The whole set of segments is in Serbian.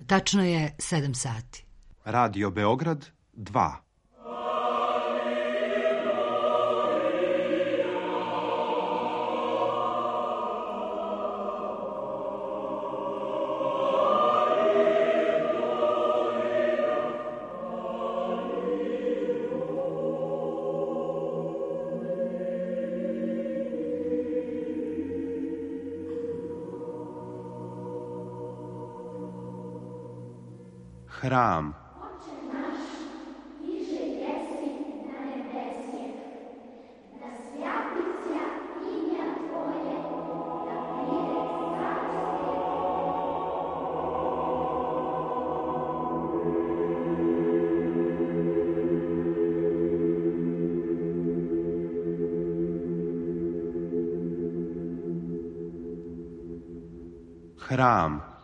Tačno je 7 sati. Radio Beograd 2. Hram. Hram.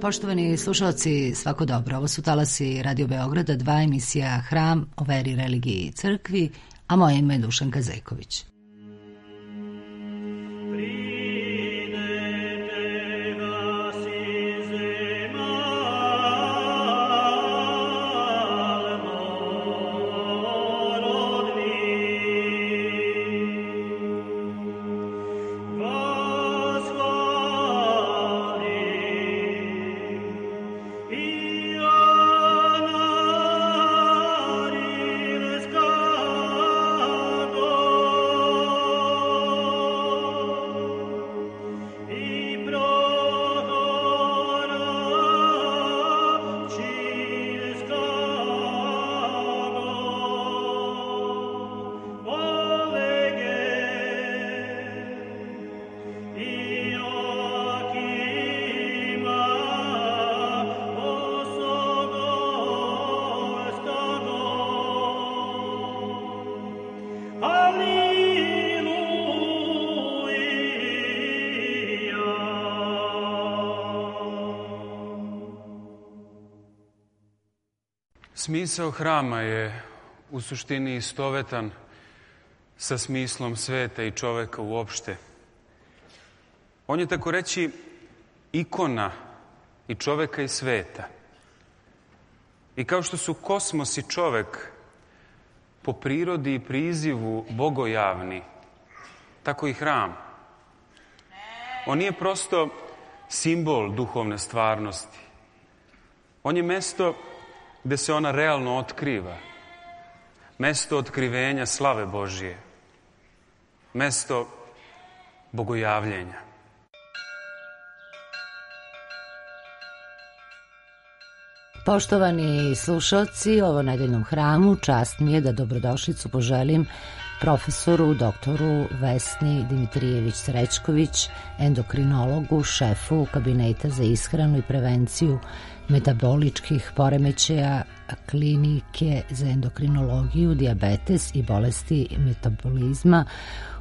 Poštovani slušalci, svako dobro. Ovo su talasi Radio Beograda 2, emisija Hram o veri, religiji i crkvi, a moje ime je Dušanka Zejković. Smisao hrama je u suštini istovetan sa smislom sveta i čoveka uopšte. On je, tako reći, ikona i čoveka i sveta. I kao što su kosmos i čovek po prirodi i prizivu bogojavni, tako i hram. On nije prosto simbol duhovne stvarnosti. On je mesto gde se ona realno otkriva. Mesto otkrivenja slave Božije. Mesto bogojavljenja. Poštovani slušalci, ovo nedeljnom hramu čast mi je da dobrodošlicu poželim profesoru, doktoru Vesni Dimitrijević-Srećković, endokrinologu, šefu Kabineta za ishranu i prevenciju metaboličkih poremećaja Klinike za endokrinologiju, dijabetes i bolesti metabolizma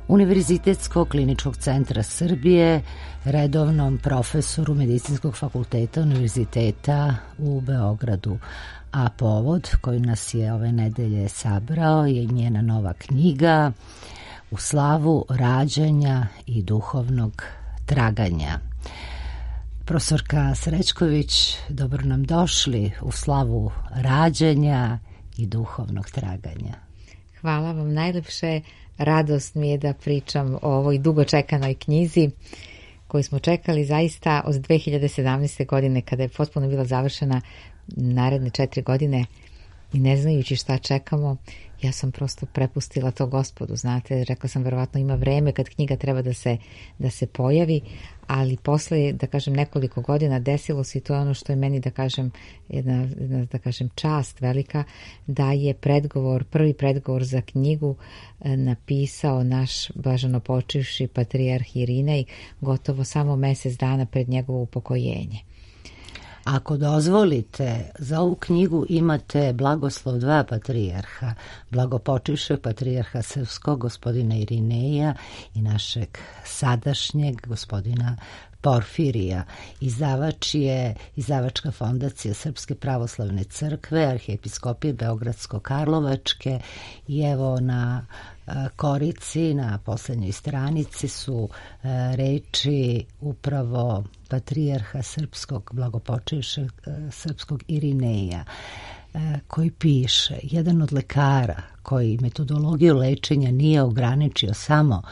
Univerzitetskog kliničkog centra Srbije, redovnom profesoru Medicinskog fakulteta Univerziteta u Beogradu. A povod koji nas je ove nedelje sabrao je njena nova knjiga U slavu rađanja i duhovnog traganja. Profesorka Srećković, dobro nam došli u slavu rađanja i duhovnog traganja. Hvala vam najlepše. Radost mi je da pričam o ovoj dugo čekanoj knjizi koju smo čekali zaista od 2017. godine, kada je potpuno bila završena, naredne 4 godine i ne znajući šta čekamo. ja sam prosto prepustila to Gospodu, znate, rekla sam verovatno ima vreme kad knjiga treba da se pojavi, ali posle, da kažem, nekoliko godina desilo se i to je ono što je meni, da kažem, jedna da kažem, čast velika, da je prvi predgovor za knjigu napisao naš blaženopočivši patrijarh Irinej gotovo samo mesec dana pred njegovo upokojenje. Ako dozvolite, za ovu knjigu imate blagoslov dva patrijarha, blagopočivšeg patrijarha srpskog gospodina Irineja i našeg sadašnjeg gospodina Porfirija. Izdavač je Izdavačka fondacija Srpske pravoslavne crkve, Arhijepiskopije Beogradsko-Karlovačke i evo na korici, na poslednjoj stranici su reči upravo patrijarha srpskog, blagopočivšeg srpskog Irineja, koji piše: jedan od lekara koji metodologiju lečenja nije ograničio samo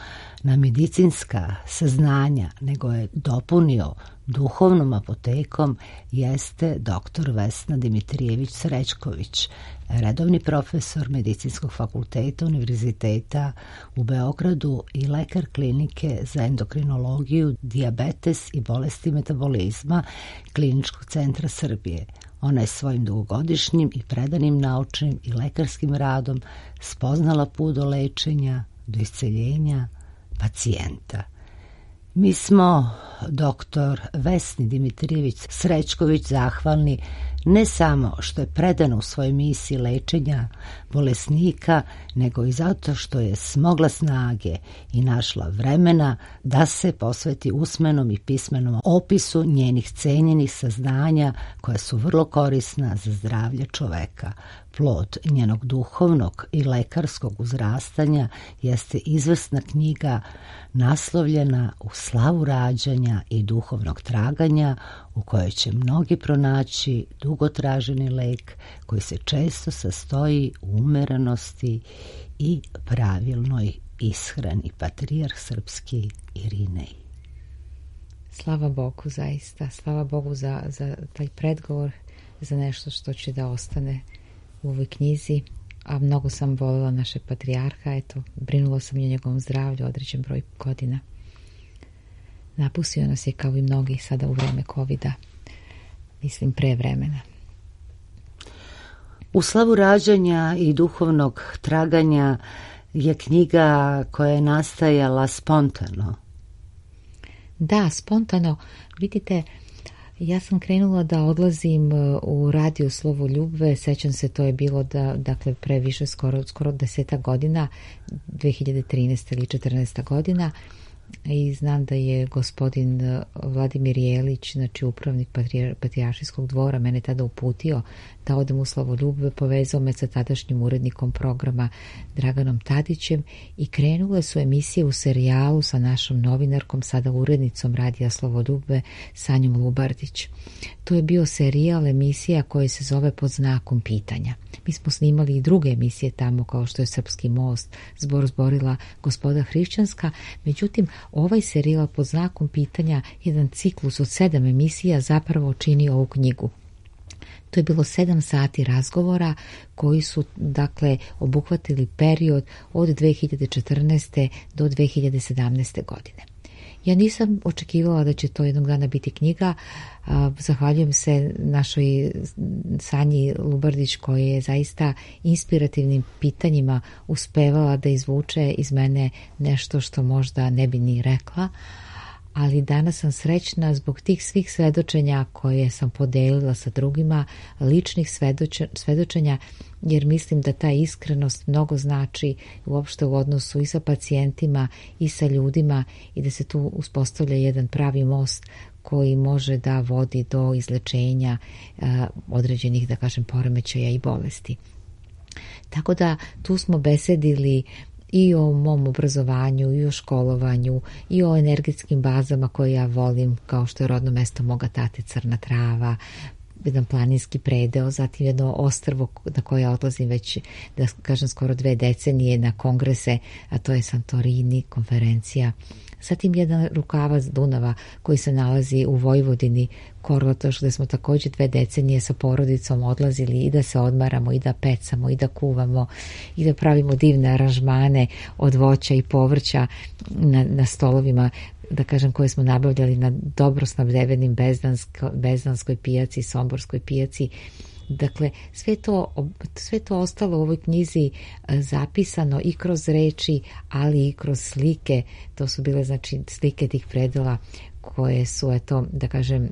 na medicinska saznanja, nego je dopunio duhovnom apotekom, jeste dr. Vesna Dimitrijević Srećković, redovni profesor Medicinskog fakulteta Univerziteta u Beogradu i lekar klinike za endokrinologiju, dijabetes i bolesti metabolizma Kliničkog centra Srbije. Ona je svojim dugogodišnjim i predanim naučnim i lekarskim radom spoznala put do lečenja, do isceljenja pacijenta. Mi smo dr. Vesni Dimitrijević Srećković zahvalni ne samo što je predana u svojoj misiji lečenja bolesnika, nego i zato što je smogla snage i našla vremena da se posveti usmenom i pismenom opisu njenih cenjenih saznanja koja su vrlo korisna za zdravlje čoveka. Plod njenog duhovnog i lekarskog uzrastanja jeste izvrsna knjiga naslovljena U slavu rađanja i duhovnog traganja, u kojoj će mnogi pronaći dugotraženi lek koji se često sastoji u umerenosti i pravilnoj ishrani. Patrijarh srpski Irinej. Slava Bogu, zaista. Slava Bogu za taj predgovor, za nešto što će da ostane u ovoj knjizi, a mnogo sam voljela našeg patrijarha, eto, brinula sam i o njegovom zdravlju određen broj godina. Napustio nas je kao i mnogi sada u vreme covida, mislim pre vremena. U slavu rađanja i duhovnog traganja je knjiga koja je nastajala spontano. Da, spontano. Vidite, ja sam krenula da odlazim u radio Slovoljubve, sećam se, to je bilo dakle previše skoro 10 godina, 2013. ili 14. godina, i znam da je gospodin Vladimir Jelić, znači upravnik Patrijaršijskog dvora, mene tada uputio da odem u Slovoljubve, povezao me sa tadašnjim urednikom programa Draganom Tadićem i krenule su emisije u serijalu sa našom novinarkom, sada urednicom radija Slovoljubve, Sanjom Lubardić. To je bio serijal emisija koji se zove Pod znakom pitanja. Mi smo snimali i druge emisije tamo, kao što je Srpski most, Zbor zborila Gospoda hrišćanska, međutim ovaj serijal Pod znakom pitanja, jedan ciklus od 7 emisija, zapravo čini ovu knjigu. To je bilo 7 sati razgovora koji su, dakle, obuhvatili period od 2014. do 2017. godine. Ja nisam očekivala da će to jednog dana biti knjiga. Zahvaljujem se našoj Sanji Lubardić koja je zaista inspirativnim pitanjima uspevala da izvuče iz mene nešto što možda ne bi ni rekla, ali danas sam srećna zbog tih svih svedočenja koje sam podelila sa drugima, ličnih svedočenja, jer mislim da ta iskrenost mnogo znači uopšte u odnosu i sa pacijentima i sa ljudima i da se tu uspostavlja jedan pravi most koji može da vodi do izlečenja određenih, da kažem, poremećaja i bolesti. Tako da tu smo besedili i o mom obrazovanju, i o školovanju, i o energetskim bazama koje ja volim, kao što je rodno mesto moga tate Crna Trava, jedan planinski predeo, zatim jedno ostrvo na koje odlazim već, da kažem, skoro 2 decenije na kongrese, a to je Santorini, konferencija. Zatim jedan rukavac Dunava koji se nalazi u Vojvodini, Korlotoš, gde smo također 2 decenije sa porodicom odlazili i da se odmaramo, i da pecamo, i da kuvamo, i da pravimo divne aranžmane od voća i povrća na stolovima, da kažem, koje smo nabavljali na dobro snabdevenim Bezdanskoj pijaci, Somborskoj pijaci. Dakle, sve to ostalo u ovoj knjizi zapisano i kroz reči, ali i kroz slike. To su bile, znači, slike tih predela koje su, eto, da kažem,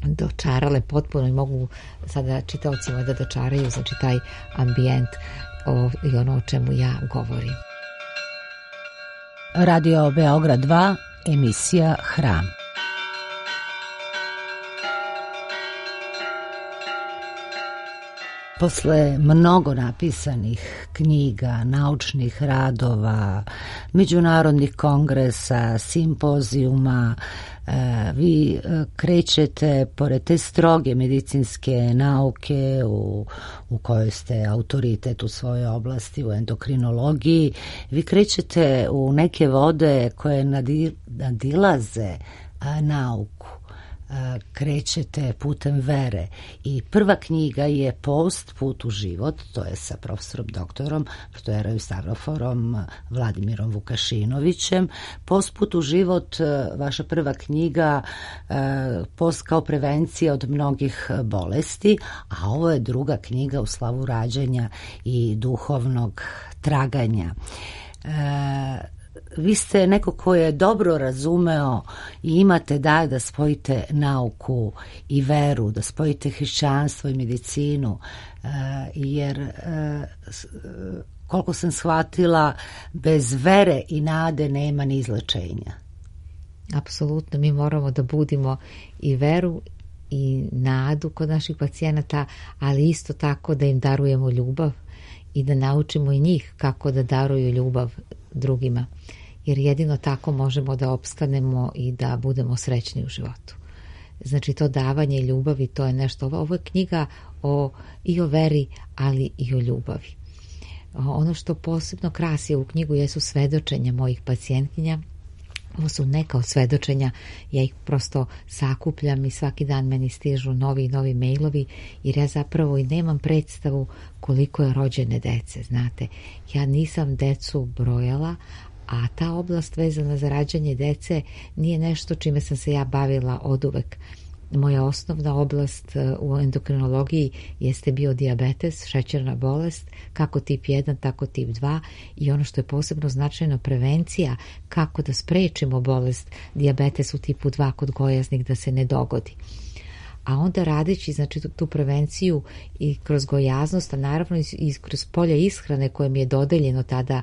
dočarale potpuno i mogu sada čitaocima da dočaraju, znači, taj ambijent i ono o čemu ja govorim. Radio Beograd 2, emisija Hram. Posle mnogo napisanih knjiga, naučnih radova, međunarodnih kongresa, simpozijuma, vi krećete pored te stroge medicinske nauke u kojoj ste autoritet u svojoj oblasti, u endokrinologiji, vi krećete u neke vode koje nadilaze nauku. Krećete putem vere i prva knjiga je Post, put u život, to je sa profesorom doktorom Protojerom Stavroforom Vladimirom Vukašinovićem. Post, put u život, vaša prva knjiga, post kao prevencija od mnogih bolesti, a ovo je druga knjiga u slavu rađanja i duhovnog traganja. Vi ste neko ko je dobro razumeo i imate da spojite nauku i veru, da spojite hrišćanstvo i medicinu, jer koliko sam shvatila, bez vere i nade nema ni izlečenja. Apsolutno, mi moramo da budimo i veru i nadu kod naših pacijenata, ali isto tako da im darujemo ljubav i da naučimo i njih kako da daruju ljubav drugima, jer jedino tako možemo da opstanemo i da budemo srećni u životu. Znači, to davanje ljubavi, to je nešto, ovo je knjiga i o veri, ali i o ljubavi. Ono što posebno krasi ovu knjigu jesu svedočenja mojih pacijentkinja. Ovo su neka od svedočenja, ja ih prosto sakupljam i svaki dan meni stižu novi i novi mailovi, jer ja zapravo i nemam predstavu koliko je rođene dece, znate. Ja nisam decu brojala, a ta oblast vezana za rađanje dece nije nešto čime sam se ja bavila oduvek. Moja osnovna oblast u endokrinologiji jeste bio dijabetes, šećerna bolest, kako tip 1, tako tip 2, i ono što je posebno značajno, prevencija, kako da sprečimo bolest dijabetes u tipu 2 kod gojaznih da se ne dogodi. A onda radeći, znači, tu prevenciju i kroz gojaznost, a naravno i kroz polje ishrane koje mi je dodeljeno tada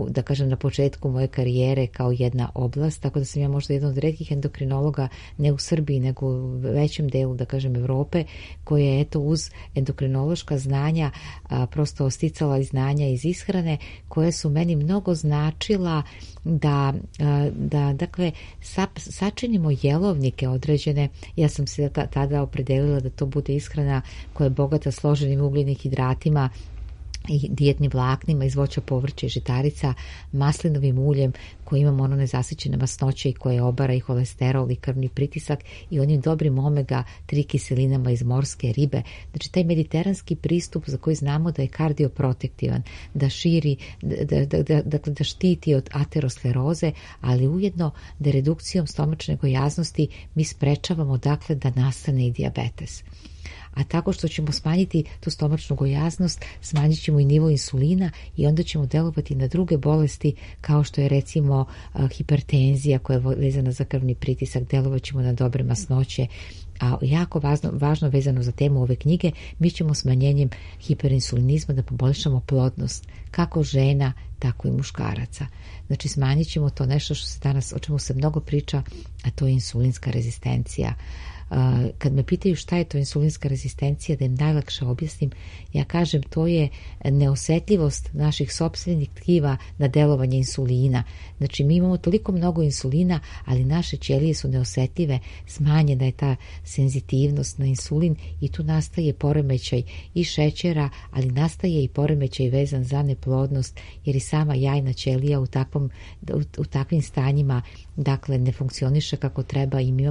da kažem, na početku moje karijere kao jedna oblast, tako da sam ja možda jedan od retkih endokrinologa, ne u Srbiji, nego u većem delu, da kažem, Evrope, koje je, eto, uz endokrinološka znanja prosto sticala i znanja iz ishrane, koje su meni mnogo značila da dakle, sačinimo jelovnike određene. Ja sam se tada opredelila da to bude ishrana koja je bogata složenim ugljenim hidratima i dijetnim vlaknima iz voća, povrća i žitarica, maslinovim uljem koji imamo ono nezasićene masnoće i koje obara i holesterol i krvni pritisak, i onim dobrim omega 3 kiselinama iz morske ribe. Znači, taj mediteranski pristup za koji znamo da je kardioprotektivan, da širi, da štiti od ateroskleroze, ali ujedno da redukcijom stomačne gojaznosti mi sprečavamo, dakle, da nastane i dijabetes. A tako što ćemo smanjiti tu stomačnu gojaznost, smanjit ćemo i nivo insulina i onda ćemo delovati na druge bolesti, kao što je, recimo, hipertenzija koja je vezana za krvni pritisak, delovat ćemo na dobre masnoće. A jako važno vezano za temu ove knjige, mi ćemo smanjenjem hiperinsulinizma da poboljšamo plodnost kako žena, tako i muškaraca. Znači, smanjit ćemo to nešto što se danas, o čemu se mnogo priča, a to je insulinska rezistencija. Kad me pitaju šta je to insulinska rezistencija, da im najlakše objasnim, ja kažem to je neosetljivost naših sopstvenih tkiva na delovanje insulina. Znači mi imamo toliko mnogo insulina, ali naše ćelije su neosetljive, smanjena je ta senzitivnost na insulin i tu nastaje poremećaj i šećera, ali nastaje i poremećaj vezan za neplodnost, jer i sama jajna ćelija u takvim stanjima dakle ne funkcioniše kako treba i mi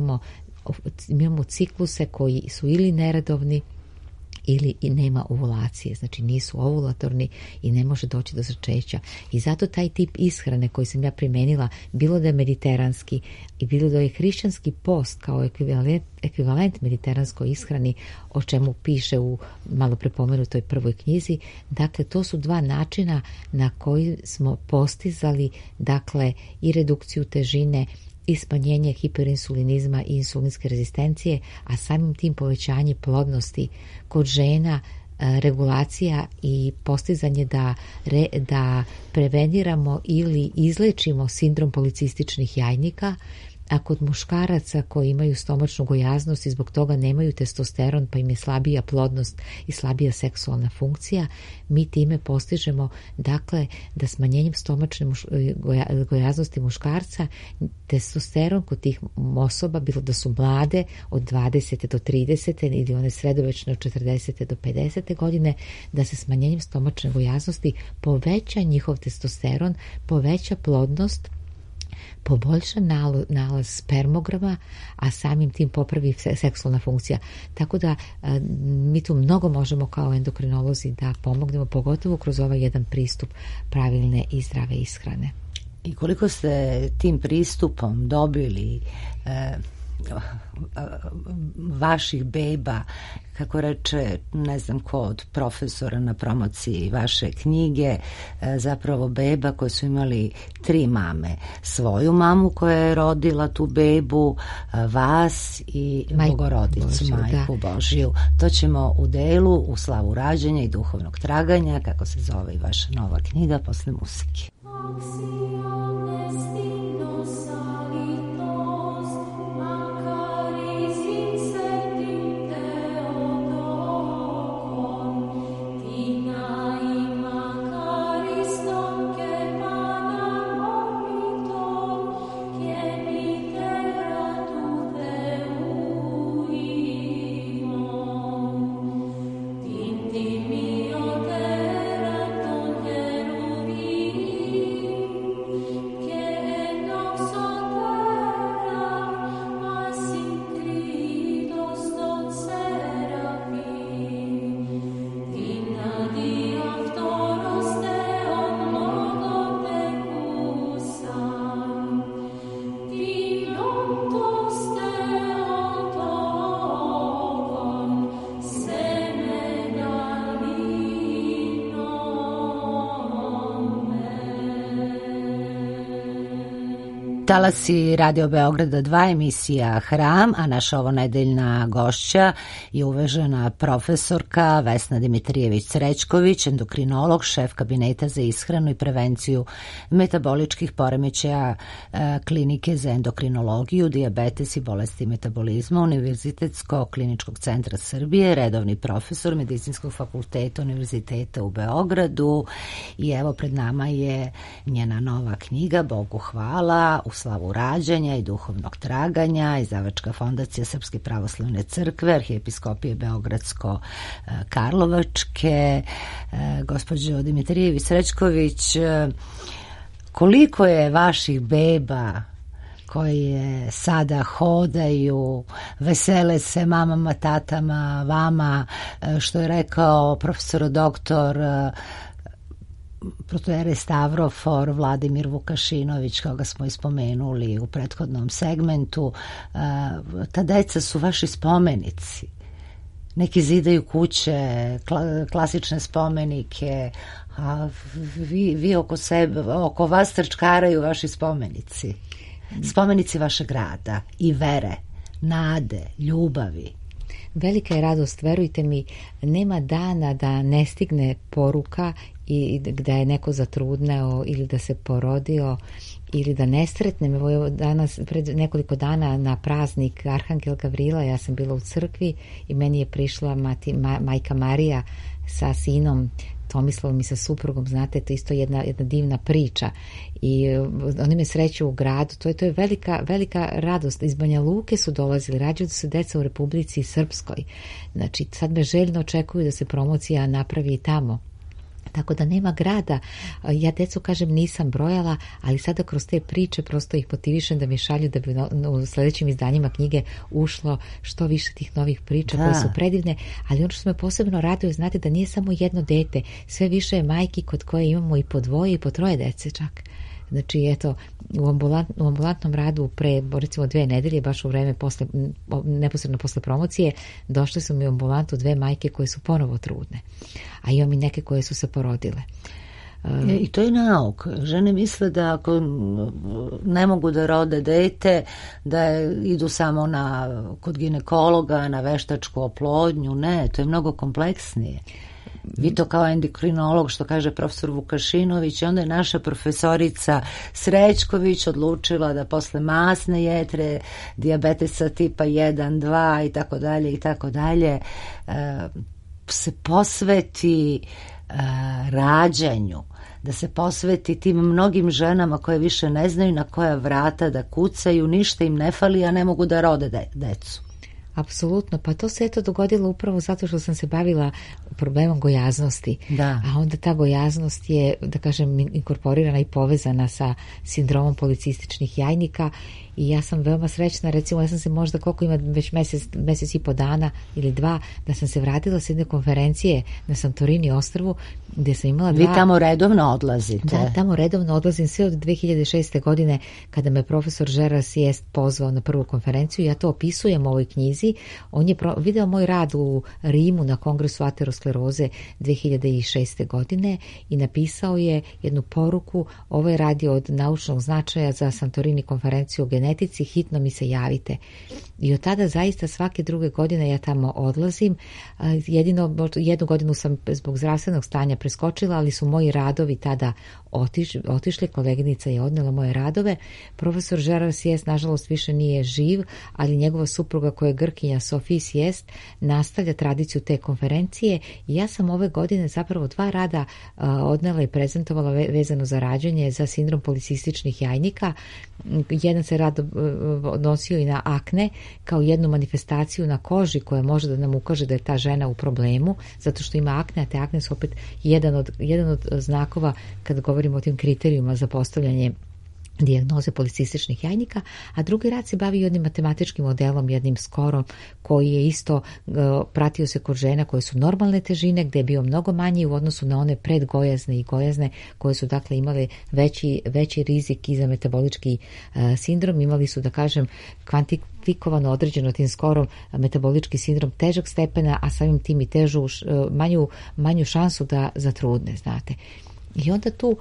imamo cikluse koji su ili neredovni ili i nema ovulacije, znači nisu ovulatorni i ne može doći do začeća. I zato taj tip ishrane koji sam ja primenila, bilo da je mediteranski i bilo da je hrišćanski post kao ekvivalent mediteranskoj ishrani, o čemu piše u malo prepomenutoj prvoj knjizi, dakle to su dva načina na koji smo postizali dakle i redukciju težine i smanjenje hiperinsulinizma i insulinske rezistencije, a samim tim povećanje plodnosti kod žena, regulacija i postizanje da preveniramo ili izlečimo sindrom policističnih jajnika, a kod muškaraca koji imaju stomačnu gojaznost i zbog toga nemaju testosteron pa im je slabija plodnost i slabija seksualna funkcija, mi time postižemo dakle da smanjenjem stomačne gojaznosti muškarca testosteron kod tih osoba, bilo da su mlade od 20. do 30. ili one sredovečne od 40. do 50. godine, da se smanjenjem stomačne gojaznosti poveća njihov testosteron, poveća plodnost, poboljša nalaz spermograma, a samim tim popravi seksualna funkcija. Tako da mi tu mnogo možemo kao endokrinolozi da pomognemo, pogotovo kroz ovaj jedan pristup pravilne i zdrave ishrane. I koliko ste tim pristupom dobili vaših beba, kako reče, ne znam ko od profesora na promociji vaše knjige, zapravo beba koje su imali 3 mame. Svoju mamu koja je rodila tu bebu, vas i Bogorodicu, Majku Božiju. To ćemo u delu u slavu rađanja i duhovnog traganja, kako se zove i vaša nova knjiga, posle muzike. Talasi Radio Beograda 2, emisija Hram, a naša ovonedeljna gošća je uvažena profesorka Vesna Dimitrijević-Srećković, endokrinolog, šef kabineta za ishranu i prevenciju metaboličkih poremećaja Klinike za endokrinologiju, dijabetes i bolesti metabolizma Univerzitetskog kliničkog centra Srbije, redovni profesor Medicinskog fakulteta Univerziteta u Beogradu. I evo pred nama je njena nova knjiga Bogu hvala, u slavu rađanja i duhovnog traganja, izdavačka fondacija Srpske pravoslavne crkve, Arhijepiskopije Beogradsko-Karlovačke. Gospođo Dimitrijević-Srećković, koliko je vaših beba koje sada hodaju, vesele se mamama, tatama, vama, što je rekao profesor doktor protojerej Stavrofor Vladimir Vukašinović, koga smo ispomenuli u prethodnom segmentu. Ta deca su vaši spomenici. Neki zidaju kuće, klasične spomenike, a vi oko sebe, oko vas trčkaraju vaši spomenici. Spomenici vašeg rada i vere, nade, ljubavi. velika je radost, verujte mi, nema dana da ne stigne poruka i da je neko zatrudneo ili da se porodio ili da ne sretnem. Evo danas, pred nekoliko dana na praznik Arhangel Gavrila, ja sam bila u crkvi i meni je prišla majka Marija sa sinom Tomislavom i sa suprugom, znate, to je isto jedna divna priča i oni me sreću u gradu, to je velika radost. Iz Banja Luke su dolazili, rađaju se deca u Republici Srpskoj, znači sad me željno očekuju da se promocija napravi i tamo. Tako da nema grada. Ja decu, kažem, nisam brojala, ali sada kroz te priče prosto ih motivišem da mi šalju da bi u sljedećim izdanjima knjige ušlo što više tih novih priča koje su predivne, ali ono što me posebno raduje, znate, da nije samo jedno dete, sve više je majki kod koje imamo i po dvoje i po troje dece čak. Znači, eto, u ambulantnom radu pre, recimo, 2 nedelje, baš u vreme neposredno posle promocije, došle su mi u ambulantu 2 majke koje su ponovo trudne. A imam i neke koje su se porodile. I to je nauk. Žene misle da ako ne mogu da rode dete, da idu samo kod ginekologa, na veštačku oplodnju. Ne, to je mnogo kompleksnije. Vi to kao endokrinolog, što kaže profesor Vukašinović, onda je naša profesorica Srećković odlučila da posle masne jetre, dijabetesa tipa 1, 2 i tako dalje, se posveti rađanju, da se posveti tim mnogim ženama koje više ne znaju na koja vrata da kucaju, ništa im ne fali, a ne mogu da rode decu. Apsolutno, pa to se dogodilo upravo zato što sam se bavila problemom gojaznosti. Da. A onda ta gojaznost je, da kažem, inkorporirana i povezana sa sindromom policističnih jajnika i ja sam veoma srećna, recimo ja sam se možda, koliko ima već mesec i po dana ili 2, da sam se vratila s jedne konferencije na Santorini ostrvu gdje sam imala 2... Vi tamo redovno odlazite? Da, tamo redovno odlazim sve od 2006. godine kada me profesor Žeras Sjest pozvao na prvu konferenciju. Ja to opisujem u ovoj knjizi. On je video moj rad u Rimu na kongresu ateroskleroze 2006. godine i napisao je jednu poruku: ovaj rad je od naučnog značaja za Santorini konferenciju o genetici, hitno mi se javite. I od tada zaista svake druge godine ja tamo odlazim. Jedino jednu godinu sam zbog zdravstvenog stanja preskočila, ali su moji radovi tada otišli, koleginica je odnela moje radove. Profesor Žeras Sjest nažalost više nije živ, ali njegova supruga koja je Grkinja Sofie Sjest nastavlja tradiciju te konferencije i ja sam ove godine zapravo 2 rada odnela i prezentovala vezano za rađanje za sindrom policističnih jajnika. Jedan se rad odnosio i na akne kao jednu manifestaciju na koži koja može da nam ukaže da je ta žena u problemu, zato što ima akne, a te akne su opet jedan od znakova kad govorimo o tim kriterijima za postavljanje dijagnoze policističnih jajnika, a drugi rad se bavi jednim matematičkim modelom, jednim skorom koji je isto pratio se kod žena koje su normalne težine, gdje je bio mnogo manji u odnosu na one predgojazne i gojazne koje su dakle imale veći rizik i za metabolički sindrom. Imali su, da kažem, kvantifikovano određeno tim skorom metabolički sindrom težeg stepena, a samim tim i manju šansu da zatrudne, znate. I onda tu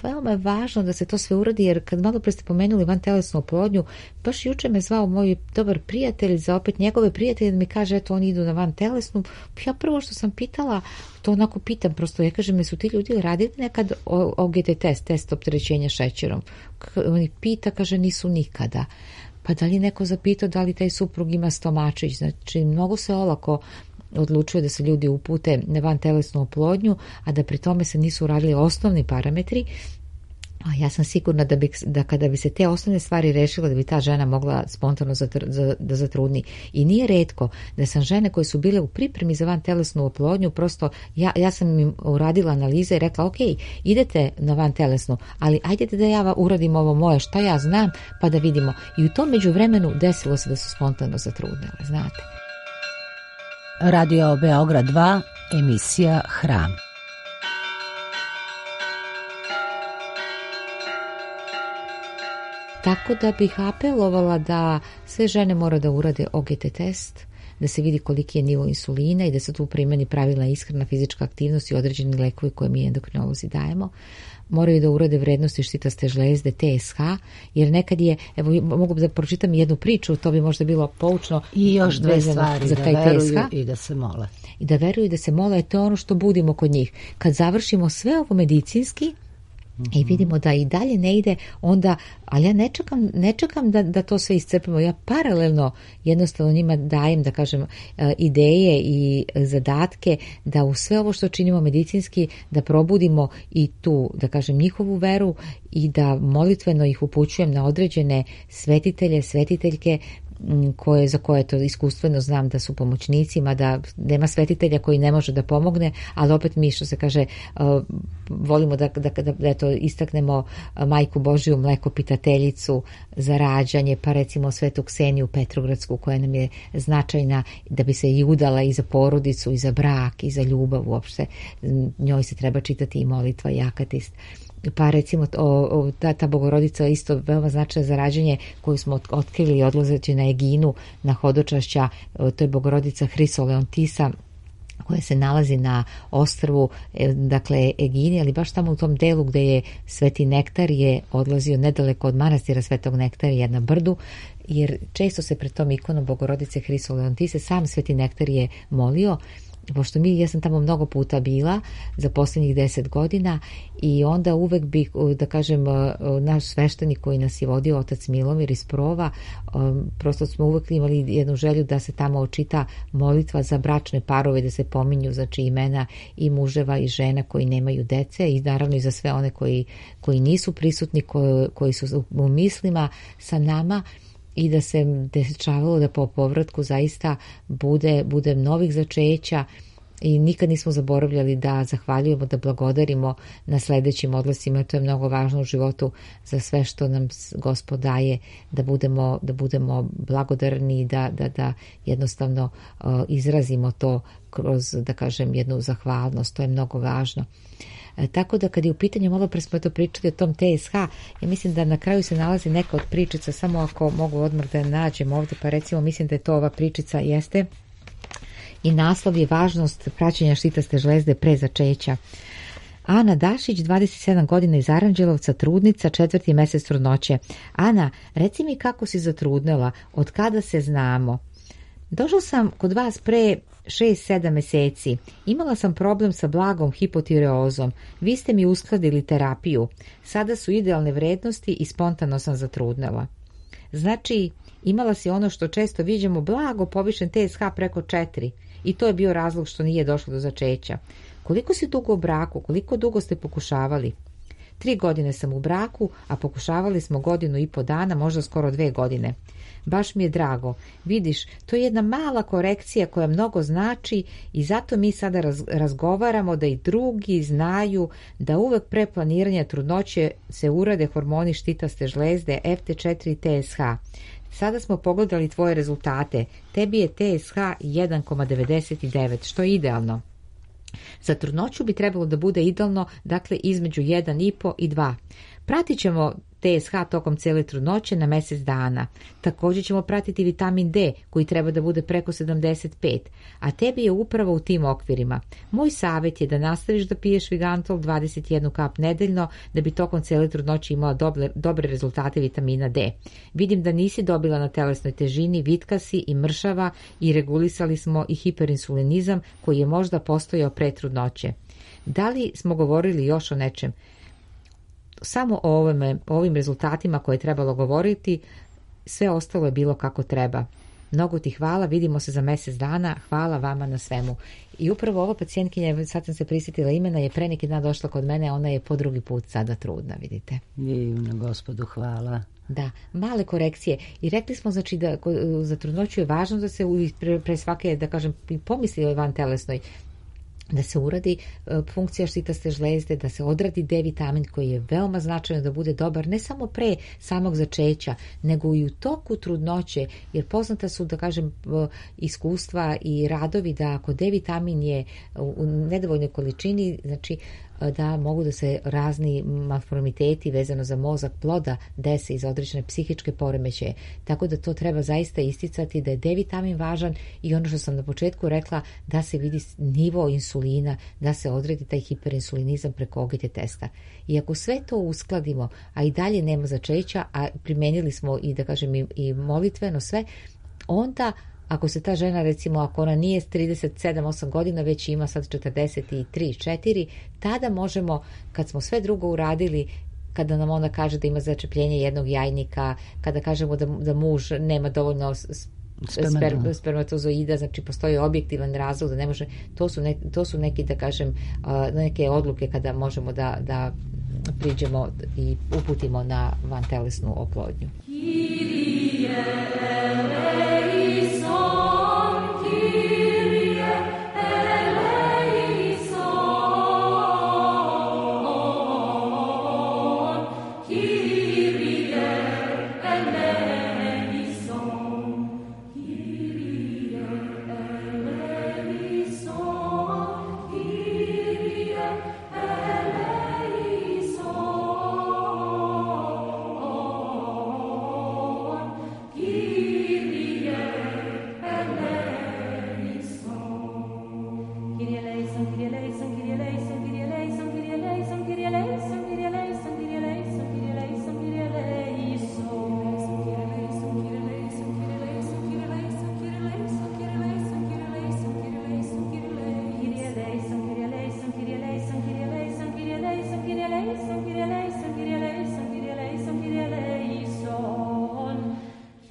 veoma je važno da se to sve uradi, jer kad malo pre ste pomenuli vantelesnu oplodnju, baš juče me zvao moj dobar prijatelj za opet njegove prijatelje da mi kaže, eto oni idu na vantelesnu. Ja prvo što sam pitala, to onako pitam prosto, ja kažem, su ti ljudi radili nekad OGT test opterećenja šećerom? Oni pita, kaže, nisu nikada. Pa da li neko zapitao da li taj suprug ima stomačić? Znači, mnogo se olako odlučuje da se ljudi upute na vantelesnu oplodnju, a da pri tome se nisu uradili osnovni parametri. A ja sam sigurna da kada bi se te osnovne stvari rešile, da bi ta žena mogla spontano da zatrudni. I nije retko da sam žene koje su bile u pripremi za vantelesnu oplodnju, prosto ja sam im uradila analize i rekla, ok, idete na vantelesnu, ali ajdete da ja uradim ovo moje, šta ja znam, pa da vidimo. I u tom međuvremenu desilo se da su spontano zatrudnele, znate. Radio Beograd 2, emisija Hram. Tako da bih apelovala da sve žene mora da urade OGT test, da se vidi koliki je nivo insulina i da se tu primeni pravilna ishrana, fizička aktivnost i određeni lekovi koje mi endokrinolozi dajemo. Moraju da urade vrednosti štitaste žlezde, TSH, jer nekad je, evo mogu da pročitam jednu priču, to bi možda bilo poučno. I još dve stvari, za da veruju TSH, i da se mole. I da veruju i da se mole, to je ono što budimo kod njih. Kad završimo sve ovo medicinski, i vidimo da i dalje ne ide, onda, ali ja ne čekam da to sve iscrpimo. Ja paralelno jednostavno njima dajem, da kažem, ideje i zadatke da u sve ovo što činimo medicinski, da probudimo i tu, da kažem, njihovu veru i da molitveno ih upućujem na određene svetitelje, svetiteljke, za koje to iskustveno znam da su pomoćnicima, da nema svetitelja koji ne može da pomogne, ali opet mi, što se kaže, volimo da to istaknemo Majku Božiju mlekopitateljicu za rađanje, pa recimo Svetu Kseniju Petrogradsku, koja nam je značajna da bi se i udala i za porodicu, i za brak, i za ljubav uopšte. Njoj se treba čitati i molitva i akatist. Pa recimo ta Bogorodica isto veoma značajna za rađanje koju smo otkrili odlazeći na Eginu, na hodočašća, to je Bogorodica Hrisoleontisa, koja se nalazi na ostrvu, dakle Egini, ali baš tamo u tom delu gde je Sveti Nektar je odlazio nedaleko od manastira Svetog Nektarija na brdu, jer često se pred tom ikonom Bogorodice Hrisoleontise sam Sveti Nektar je molio, pošto ja sam tamo mnogo puta bila za posljednjih 10 godina i onda uvek bi, da kažem, naš sveštenik koji nas je vodio, otac Milomir iz Prova, prosto smo uvek imali jednu želju da se tamo očita molitva za bračne parove, da se pominju, znači, imena i muževa i žena koji nemaju dece i naravno i za sve one koji nisu prisutni, koji su u mislima sa nama, i da se dešavalo da po povratku zaista bude novih začeća i nikad nismo zaboravljali da zahvaljujemo, da blagodarimo na sledećim odlascima. To je mnogo važno u životu za sve što nam Gospod daje, da budemo blagodarni i da jednostavno izrazimo to kroz, da kažem, jednu zahvalnost. To je mnogo važno. Tako da kad je u pitanju, malo pre smo to pričali o tom TSH, ja mislim da na kraju se nalazi neka od pričica, samo ako mogu odmah da nađem ovdje, pa recimo mislim da je to ova pričica, jeste, i naslov je važnost praćenja štitaste žlezde pre začeća. Ana Dašić, 27 godina, iz Aranđelovca, trudnica, 4. mesec trudnoće. Ana, reci mi kako si zatrudnela, od kada se znamo? Došla sam kod vas pre 6-7 meseci. Imala sam problem sa blagom hipotireozom. Vi ste mi uskladili terapiju. Sada su idealne vrednosti i spontano sam zatrudnela. Znači, imala si ono što često viđamo, blago povišen TSH preko 4. I to je bio razlog što nije došlo do začeća. Koliko si dugo u braku? Koliko dugo ste pokušavali? 3 godine sam u braku, a pokušavali smo 1,5 dana, možda skoro 2 godine. Baš mi je drago. Vidiš, to je jedna mala korekcija koja mnogo znači i zato mi sada razgovaramo da i drugi znaju da uvek pre planiranja trudnoće se urade hormoni štitaste žlezde FT4 i TSH. Sada smo pogledali tvoje rezultate. Tebi je TSH 1,99, što je idealno. Za trudnoću bi trebalo da bude idealno, dakle između 1,5 i 2. Pratit ćemo TSH tokom cijele trudnoće na mesec dana. Također ćemo pratiti vitamin D koji treba da bude preko 75, a tebi je upravo u tim okvirima. Moj savjet je da nastaviš da piješ Vigantol 21 kap nedeljno da bi tokom cijele trudnoće imala dobre rezultate vitamina D. Vidim da nisi dobila na telesnoj težini, vitka si i mršava i regulisali smo i hiperinsulinizam koji je možda postojao pre trudnoće. Da li smo govorili još o nečem? Samo o ovim rezultatima koje je trebalo govoriti, sve ostalo je bilo kako treba. Mnogo ti hvala, vidimo se za mesec dana, hvala vama na svemu. I upravo ova pacijentkinja, sad sam se prisjetila imena, je pre neki dan došla kod mene, ona je po drugi put sada trudna, vidite. Divno, Gospodu, hvala. Da, male korekcije. I rekli smo, znači, da za trudnoću je važno da se pre svake, da kažem, pomisli o vantelesnoj, da se uradi funkcija štitaste žlezde, da se odradi D vitamin koji je veoma značajno da bude dobar ne samo pre samog začeća, nego i u toku trudnoće, jer poznata su, da kažem, iskustva i radovi da ako D vitamin je u nedovoljnoj količini, znači da mogu da se razni malformiteti vezano za mozak ploda dese iz određene psihičke poremećaje. Tako da to treba zaista isticati da je D vitamin važan i ono što sam na početku rekla, da se vidi nivo insulina, da se odredi taj hiperinsulinizam preko OGT testa. I ako sve to uskladimo, a i dalje nema začeća, a primenili smo i da kažem i molitveno sve, onda ako se ta žena, recimo, ako ona nije 37-8 godina, već ima sad 43-4, tada možemo, kad smo sve drugo uradili, kada nam ona kaže da ima začepljenje jednog jajnika, kada kažemo da muž nema dovoljno spermatozoida, znači postoji objektivan razlog da ne može, to su neki, da kažem, neke odluke kada možemo da priđemo i uputimo na vantelesnu oplodnju.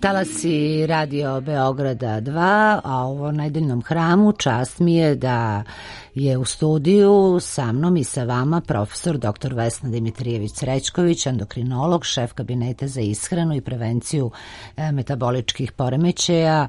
Talasi Radio Beograda 2, a ovo nedeljnom hramu čast mi je da je u studiju sa mnom i sa vama profesor dr. Vesna Dimitrijević-Srećković, endokrinolog, šef kabineta za ishranu i prevenciju metaboličkih poremećaja,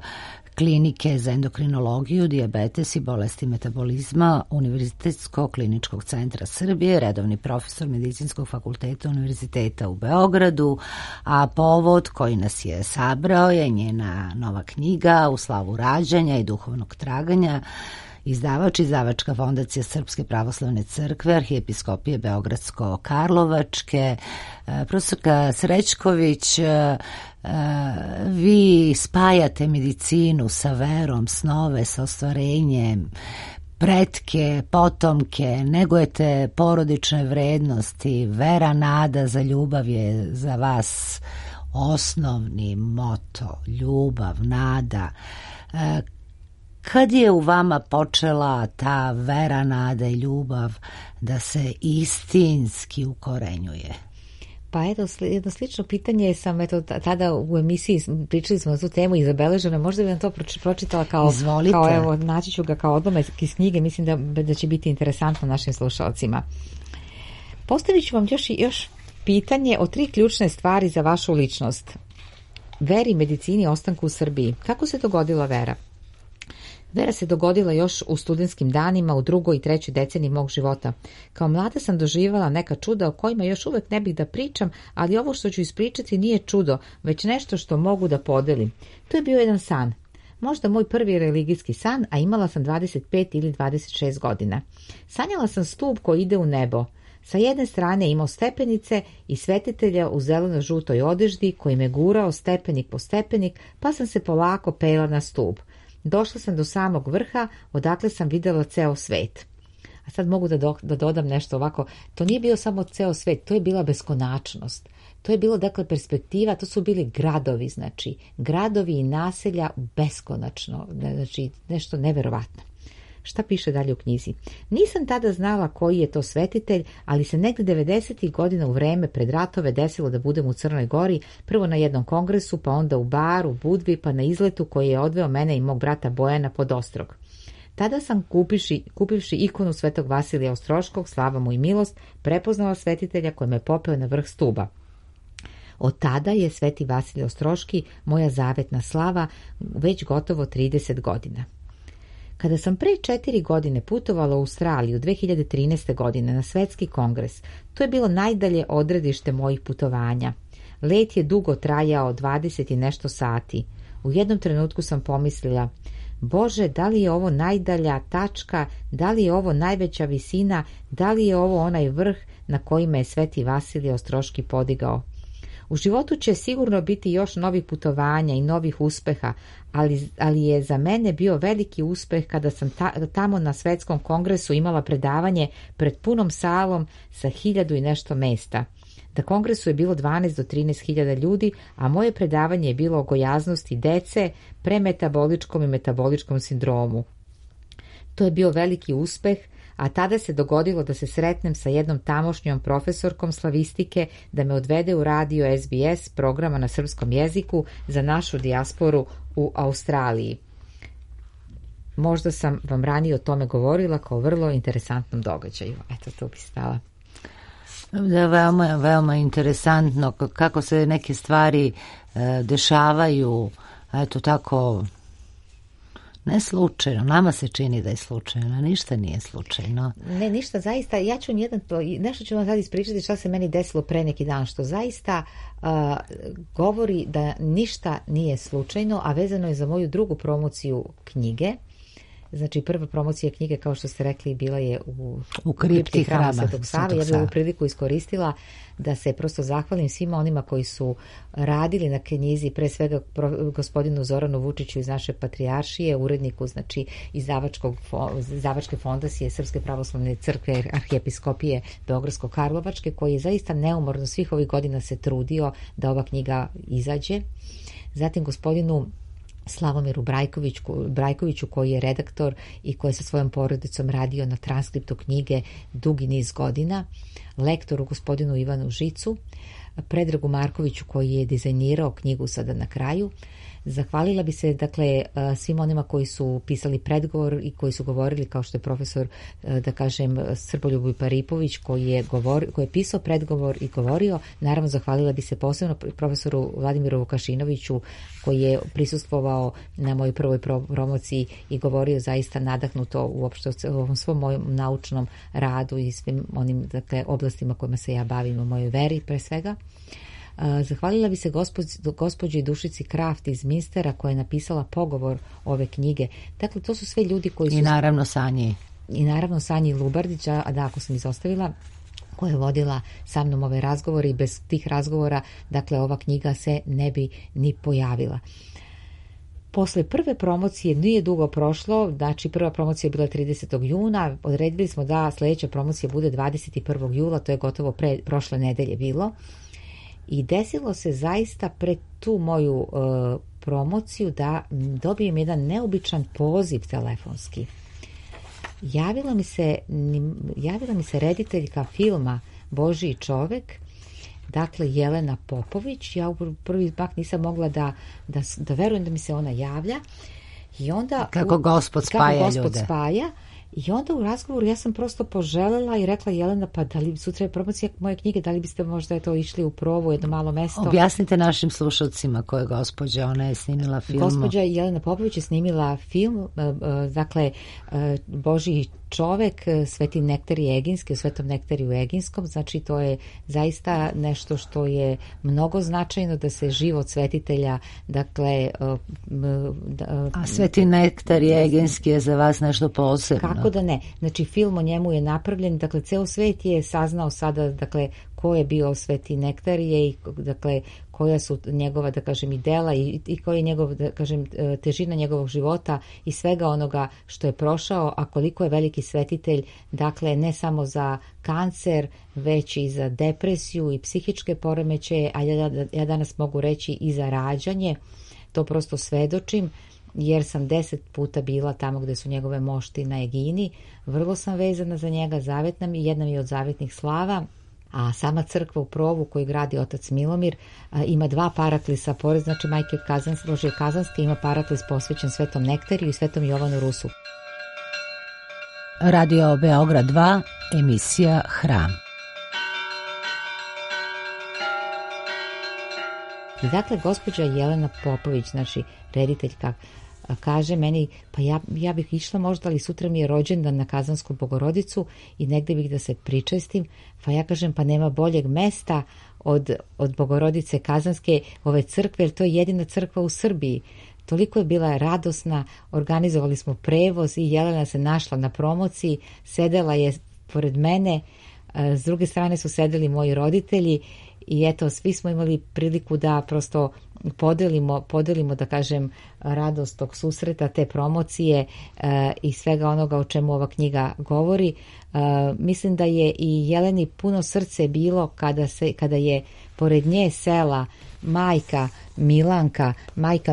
Klinike za endokrinologiju, dijabetes i bolesti metabolizma Univerzitetskog kliničkog centra Srbije, redovni profesor Medicinskog fakulteta Univerziteta u Beogradu, a povod koji nas je sabrao je njena nova knjiga U slavu rađanja i duhovnog traganja, izdavačka fondacija Srpske pravoslavne crkve, Arhijepiskopije Beogradsko-Karlovačke. Profesorka Srećković, vi spajate medicinu sa verom, snove sa ostvarenjem, pretke, potomke, negujete porodične vrednosti, vera, nada za ljubav je za vas osnovni moto, ljubav, nada. Kad je u vama počela ta vera, nada i ljubav da se istinski ukorenjuje? Pa eto, jedno slično pitanje sam tada u emisiji pričali smo na tu temu i zabeleženo, možda bi vam to pročitala kao evo, naći ću ga kao odlomak iz knjige, mislim da će biti interesantno našim slušalcima. Postavit ću vam još pitanje o 3 ključne stvari za vašu ličnost. Veri, medicini, ostanku u Srbiji. Kako se dogodila vera? Vera se dogodila još u studentskim danima u 2. i 3. deceniji mog života. Kao mlada sam doživjela neka čuda o kojima još uvek ne bih da pričam, ali ovo što ću ispričati nije čudo, već nešto što mogu da podelim. To je bio jedan san. Možda moj prvi religijski san, a imala sam 25 ili 26 godina. Sanjala sam stup koji ide u nebo. Sa jedne strane imao stepenice i svetitelja u zeleno-žutoj odeždi koji me gurao stepenik po stepenik, pa sam se polako pela na stup. Došla sam do samog vrha, odakle sam videla ceo svet. A sad mogu da dodam nešto ovako. To nije bio samo ceo svet, to je bila beskonačnost. To je bilo, dakle, perspektiva, to su bili gradovi, znači, gradovi i naselja beskonačno, znači, nešto neverovatno. Šta piše dalje u knjizi? Nisam tada znala koji je to svetitelj, ali se negde 90. godina u vreme pred ratove desilo da budem u Crnoj Gori, prvo na jednom kongresu, pa onda u baru, Budvi, pa na izletu koji je odveo mene i mog brata Bojana pod Ostrog. Tada sam, kupivši ikonu svetog Vasilija Ostroškog, slava mu i milost, prepoznala svetitelja koji me popeo na vrh stuba. Od tada je sveti Vasilij Ostroški moja zavetna slava već gotovo 30 godina. Kada sam pre 4 godine putovala u Australiju 2013. godine na svetski kongres, to je bilo najdalje odredište mojih putovanja. Let je dugo trajao 20 i nešto sati. U jednom trenutku sam pomislila, Bože, da li je ovo najdalja tačka, da li je ovo najveća visina, da li je ovo onaj vrh na kojima je Sveti Vasilije Ostroški podigao? U životu će sigurno biti još novih putovanja i novih uspeha, ali je za mene bio veliki uspeh kada sam tamo na svetskom kongresu imala predavanje pred punom salom sa 1000 i nešto mesta. Na kongresu je bilo 12 do 13.000 ljudi, a moje predavanje je bilo o gojaznosti dece, premetaboličkom i metaboličkom sindromu. To je bio veliki uspeh, a tada se dogodilo da se sretnem sa jednom tamošnjom profesorkom slavistike, da me odvede u radio SBS programa na srpskom jeziku za našu dijasporu u Australiji. Možda sam vam ranije o tome govorila kao vrlo interesantnom događaju. Eto, tu bi stala. Da, veoma interesantno kako se neke stvari dešavaju, eto tako, ne slučajno. Nama se čini da je slučajno, ništa nije slučajno. Ne, ništa, zaista. Ja ću nešto ću vam sad ispričati šta se meni desilo pre neki dan, što zaista govori da ništa nije slučajno, a vezano je za moju drugu promociju knjige. Znači, prva promocija knjige, kao što ste rekli, bila je u kripti hrama Svetog Save. Ja bih ovu priliku iskoristila da se prosto zahvalim svima onima koji su radili na knjizi, pre svega gospodinu Zoranu Vučiću iz naše patrijaršije, uredniku, znači izdavačke fondacije Srpske pravoslavne crkve arhijepiskopije Beogradsko-Karlovačke, koji je zaista neumorno svih ovih godina se trudio da ova knjiga izađe. Zatim gospodinu Slavomiru Brajkoviću, koji je redaktor i koji je sa svojom porodicom radio na transkriptu knjige dugi niz godina, lektoru gospodinu Ivanu Žicu, Predragu Markoviću koji je dizajnirao knjigu sada na kraju. Zahvalila bi se dakle svim onima koji su pisali predgovor i koji su govorili, kao što je profesor, da kažem, Srboljub Paripović koji je pisao predgovor i govorio. Naravno, zahvalila bi se posebno profesoru Vladimiru Vukašinoviću koji je prisustvovao na mojoj prvoj promociji i govorio zaista nadahnuto uopšte o ovom svom mojom naučnom radu i svim onim dakle oblastima kojima se ja bavim, u mojoj veri pre svega. Zahvalila bi se gospođi Dušici Kraft iz Minstera koja je napisala pogovor ove knjige. Dakle, to su sve ljudi koji su... I naravno Sanji Lubardića, a da, ako sam izostavila, koja je vodila sa mnom ove razgovore i bez tih razgovora, dakle, ova knjiga se ne bi ni pojavila. Posle prve promocije nije dugo prošlo, znači prva promocija je bila 30. juna, odredili smo da sljedeća promocija bude 21. jula, to je gotovo prošle nedelje bilo. I desilo se zaista pred tu moju promociju da dobijem jedan neobičan poziv telefonski. Javila mi se rediteljka filma Božji čovek, dakle Jelena Popović. Ja u prvi mak nisam mogla da verujem da mi se ona javlja. I onda, kako Gospod spaja. I onda u razgovoru ja sam prosto poželela i rekla: Jelena, pa da li sutra je promocija moje knjige, da li biste možda išli u probu, jedno malo mesto? Objasnite našim slušalcima ko je gospođa, ona je snimila film. Gospođa Jelena Popović je snimila film, dakle Božji čovek, Sveti Nektarij Eginski, u Svetom Nektariju Eginskom, znači to je zaista nešto što je mnogo značajno, da se život svetitelja, dakle... A Sveti Nektarij Eginski je za vas nešto posebno? Kako da ne? Znači film o njemu je napravljen, dakle ceo svet je saznao sada, dakle, ko je bio Sveti Nektarije i dakle koja su njegova, da kažem, i dela i koja je njegov, da kažem, težina njegovog života i svega onoga što je prošao, a koliko je veliki svetitelj, dakle ne samo za kancer, već i za depresiju i psihičke poremećaje, a ja danas mogu reći i za rađanje. To prosto svedočim, jer sam 10 puta bila tamo gde su njegove mošti na Egini. Vrlo sam vezana za njega, zavetna mi, jedna mi je od zavetnih slava. A sama crkva u Provu koju gradi otac Milomir ima 2 paraklisa, pored znači Majke Božje Kazanske, ima paraklis posvećen Svetom Nektariju i Svetom Jovanu Rusu. Radio Beograd 2, emisija Hram. I dakle, gospođa Jelena Popović, znači rediteljka, kaže meni, pa ja bih išla možda, ali sutra mi je rođendan na Kazansku Bogorodicu i negde bih da se pričestim. Pa ja kažem, pa nema boljeg mesta od Bogorodice Kazanske, ove crkve, jer to je jedina crkva u Srbiji. toliko je bila radosna, organizovali smo prevoz i Jelena se našla na promociji, sedela je pored mene, s druge strane su sedeli moji roditelji i eto, svi smo imali priliku da prosto podelimo da kažem radost tog susreta, te promocije i svega onoga o čemu ova knjiga govori. Mislim da je i Jeleni puno srce bilo kada je pored nje sela majka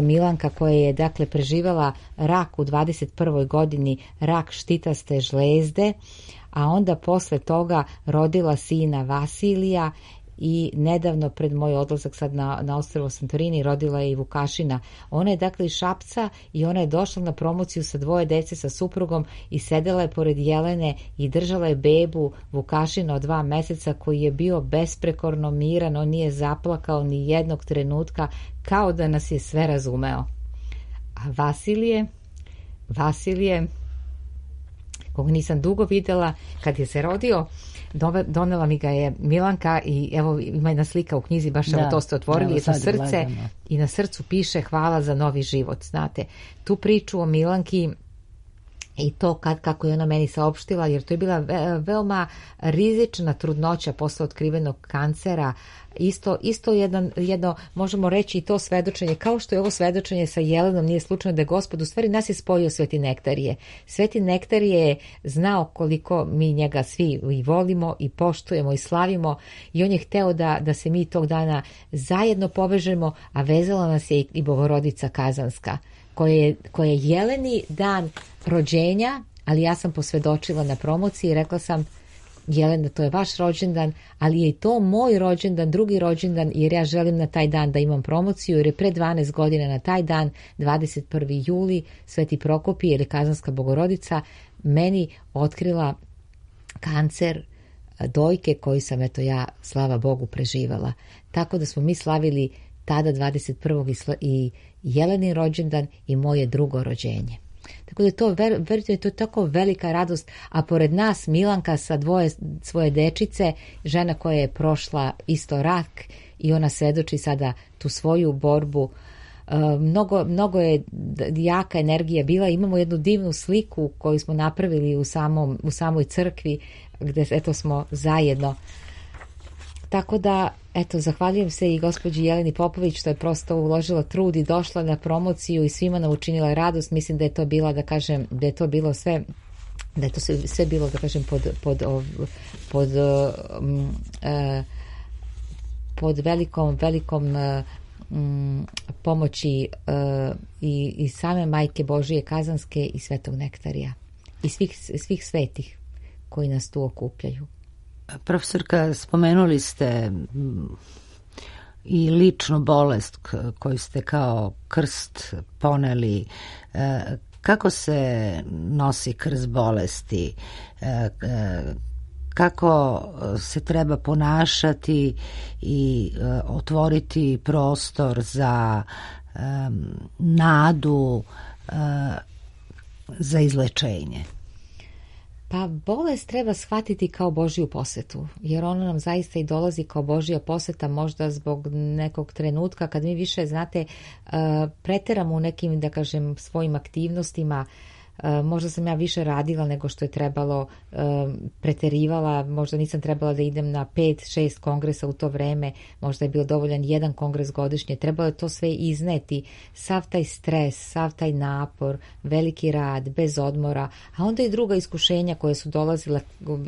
Milanka koja je dakle preživela rak u 21. godini, rak štitaste žlezde, a onda posle toga rodila sina Vasilija i nedavno pred moj odlazak sad na ostrvo Santorini rodila je i Vukašina. Ona je dakle iz Šapca i ona je došla na promociju sa 2 dece sa suprugom i sedela je pored Jelene i držala je bebu Vukašina od 2 meseca koji je bio besprekorno miran, on nije zaplakao ni jednog trenutka, kao da nas je sve razumeo. A Vasilije, koga nisam dugo videla, kad je se rodio, donela mi ga je Milanka i evo ima jedna slika u knjizi, baš evo to ste otvorili, je to srce gledamo. I na srcu piše hvala za novi život. Znate, tu priču o Milanki i to kako je ona meni saopštila, jer to je bila veoma rizična trudnoća posle otkrivenog kancera, isto jedno, možemo reći i to svedočenje, kao što je ovo svedočenje sa Jelenom, nije slučajno da je Gospod u stvari nas je spojio Sveti Nektarije. Sveti Nektarije je znao koliko mi njega svi i volimo i poštujemo i slavimo i on je hteo da se mi tog dana zajedno povežemo, a vezala nas je i Bogorodica Kazanska, koja je Jeleni dan rođenja, ali ja sam posvedočila na promociji i rekla sam Jelena, to je vaš rođendan, ali je i to moj rođendan, drugi rođendan, jer ja želim na taj dan da imam promociju, jer je pre 12 godina na taj dan, 21. juli, Sveti Prokopije ili Kazanska Bogorodica meni otkrila kancer dojke koji sam, eto ja, slava Bogu, preživala. Tako da smo mi slavili tada 21. i Jelenin rođendan i moje drugo rođenje. Tako da je to, verujte, to je tako velika radost, a pored nas Milanka sa 2 svoje dečice, žena koja je prošla isto rak i ona svedoči sada tu svoju borbu. Mnogo je jaka energija bila. Imamo jednu divnu sliku koju smo napravili u samoj crkvi gdje eto smo zajedno. Tako da, eto, zahvaljujem se i gospođi Jeleni Popović što je prosto uložila trud i došla na promociju i svima nam učinila radost. Mislim da je to bila, da kažem, da je to bilo sve, da je to sve bilo, da kažem, pod velikom pomoći i same Majke Božije Kazanske i Svetog Nektarija i svih svetih koji nas tu okupljaju. Profesorka, spomenuli ste i ličnu bolest koju ste kao krst poneli. Kako se nosi krst bolesti? Kako se treba ponašati i otvoriti prostor za nadu, za izlečenje? Pa bolest treba shvatiti kao Božju posvetu, jer ona nam zaista i dolazi kao Božja posveta, možda zbog nekog trenutka kad mi više, znate, preteramo u nekim, da kažem, svojim aktivnostima. Možda sam ja više radila nego što je trebalo, preterivala, možda nisam trebala da idem na 5-6 kongresa u to vreme, možda je bio dovoljan 1 kongres godišnje, trebalo je to sve izneti, sav taj stres, sav taj napor, veliki rad, bez odmora, a onda i druga iskušenja koje su dolazila,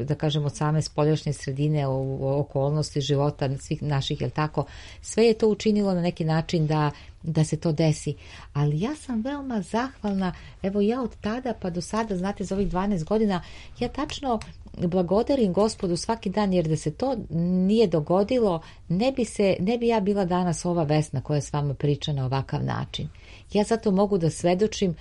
da kažem, od same spoljašnje sredine, okolnosti života svih naših, jel tako, sve je to učinilo na neki način da se to desi. Ali ja sam veoma zahvalna, evo ja od tada pa do sada, znate, za ovih 12 godina, ja tačno blagodarim Gospodu svaki dan, jer da se to nije dogodilo, ne bi ja bila danas ova Vesna koja s vama priča na ovakav način. Ja zato mogu da svedočim,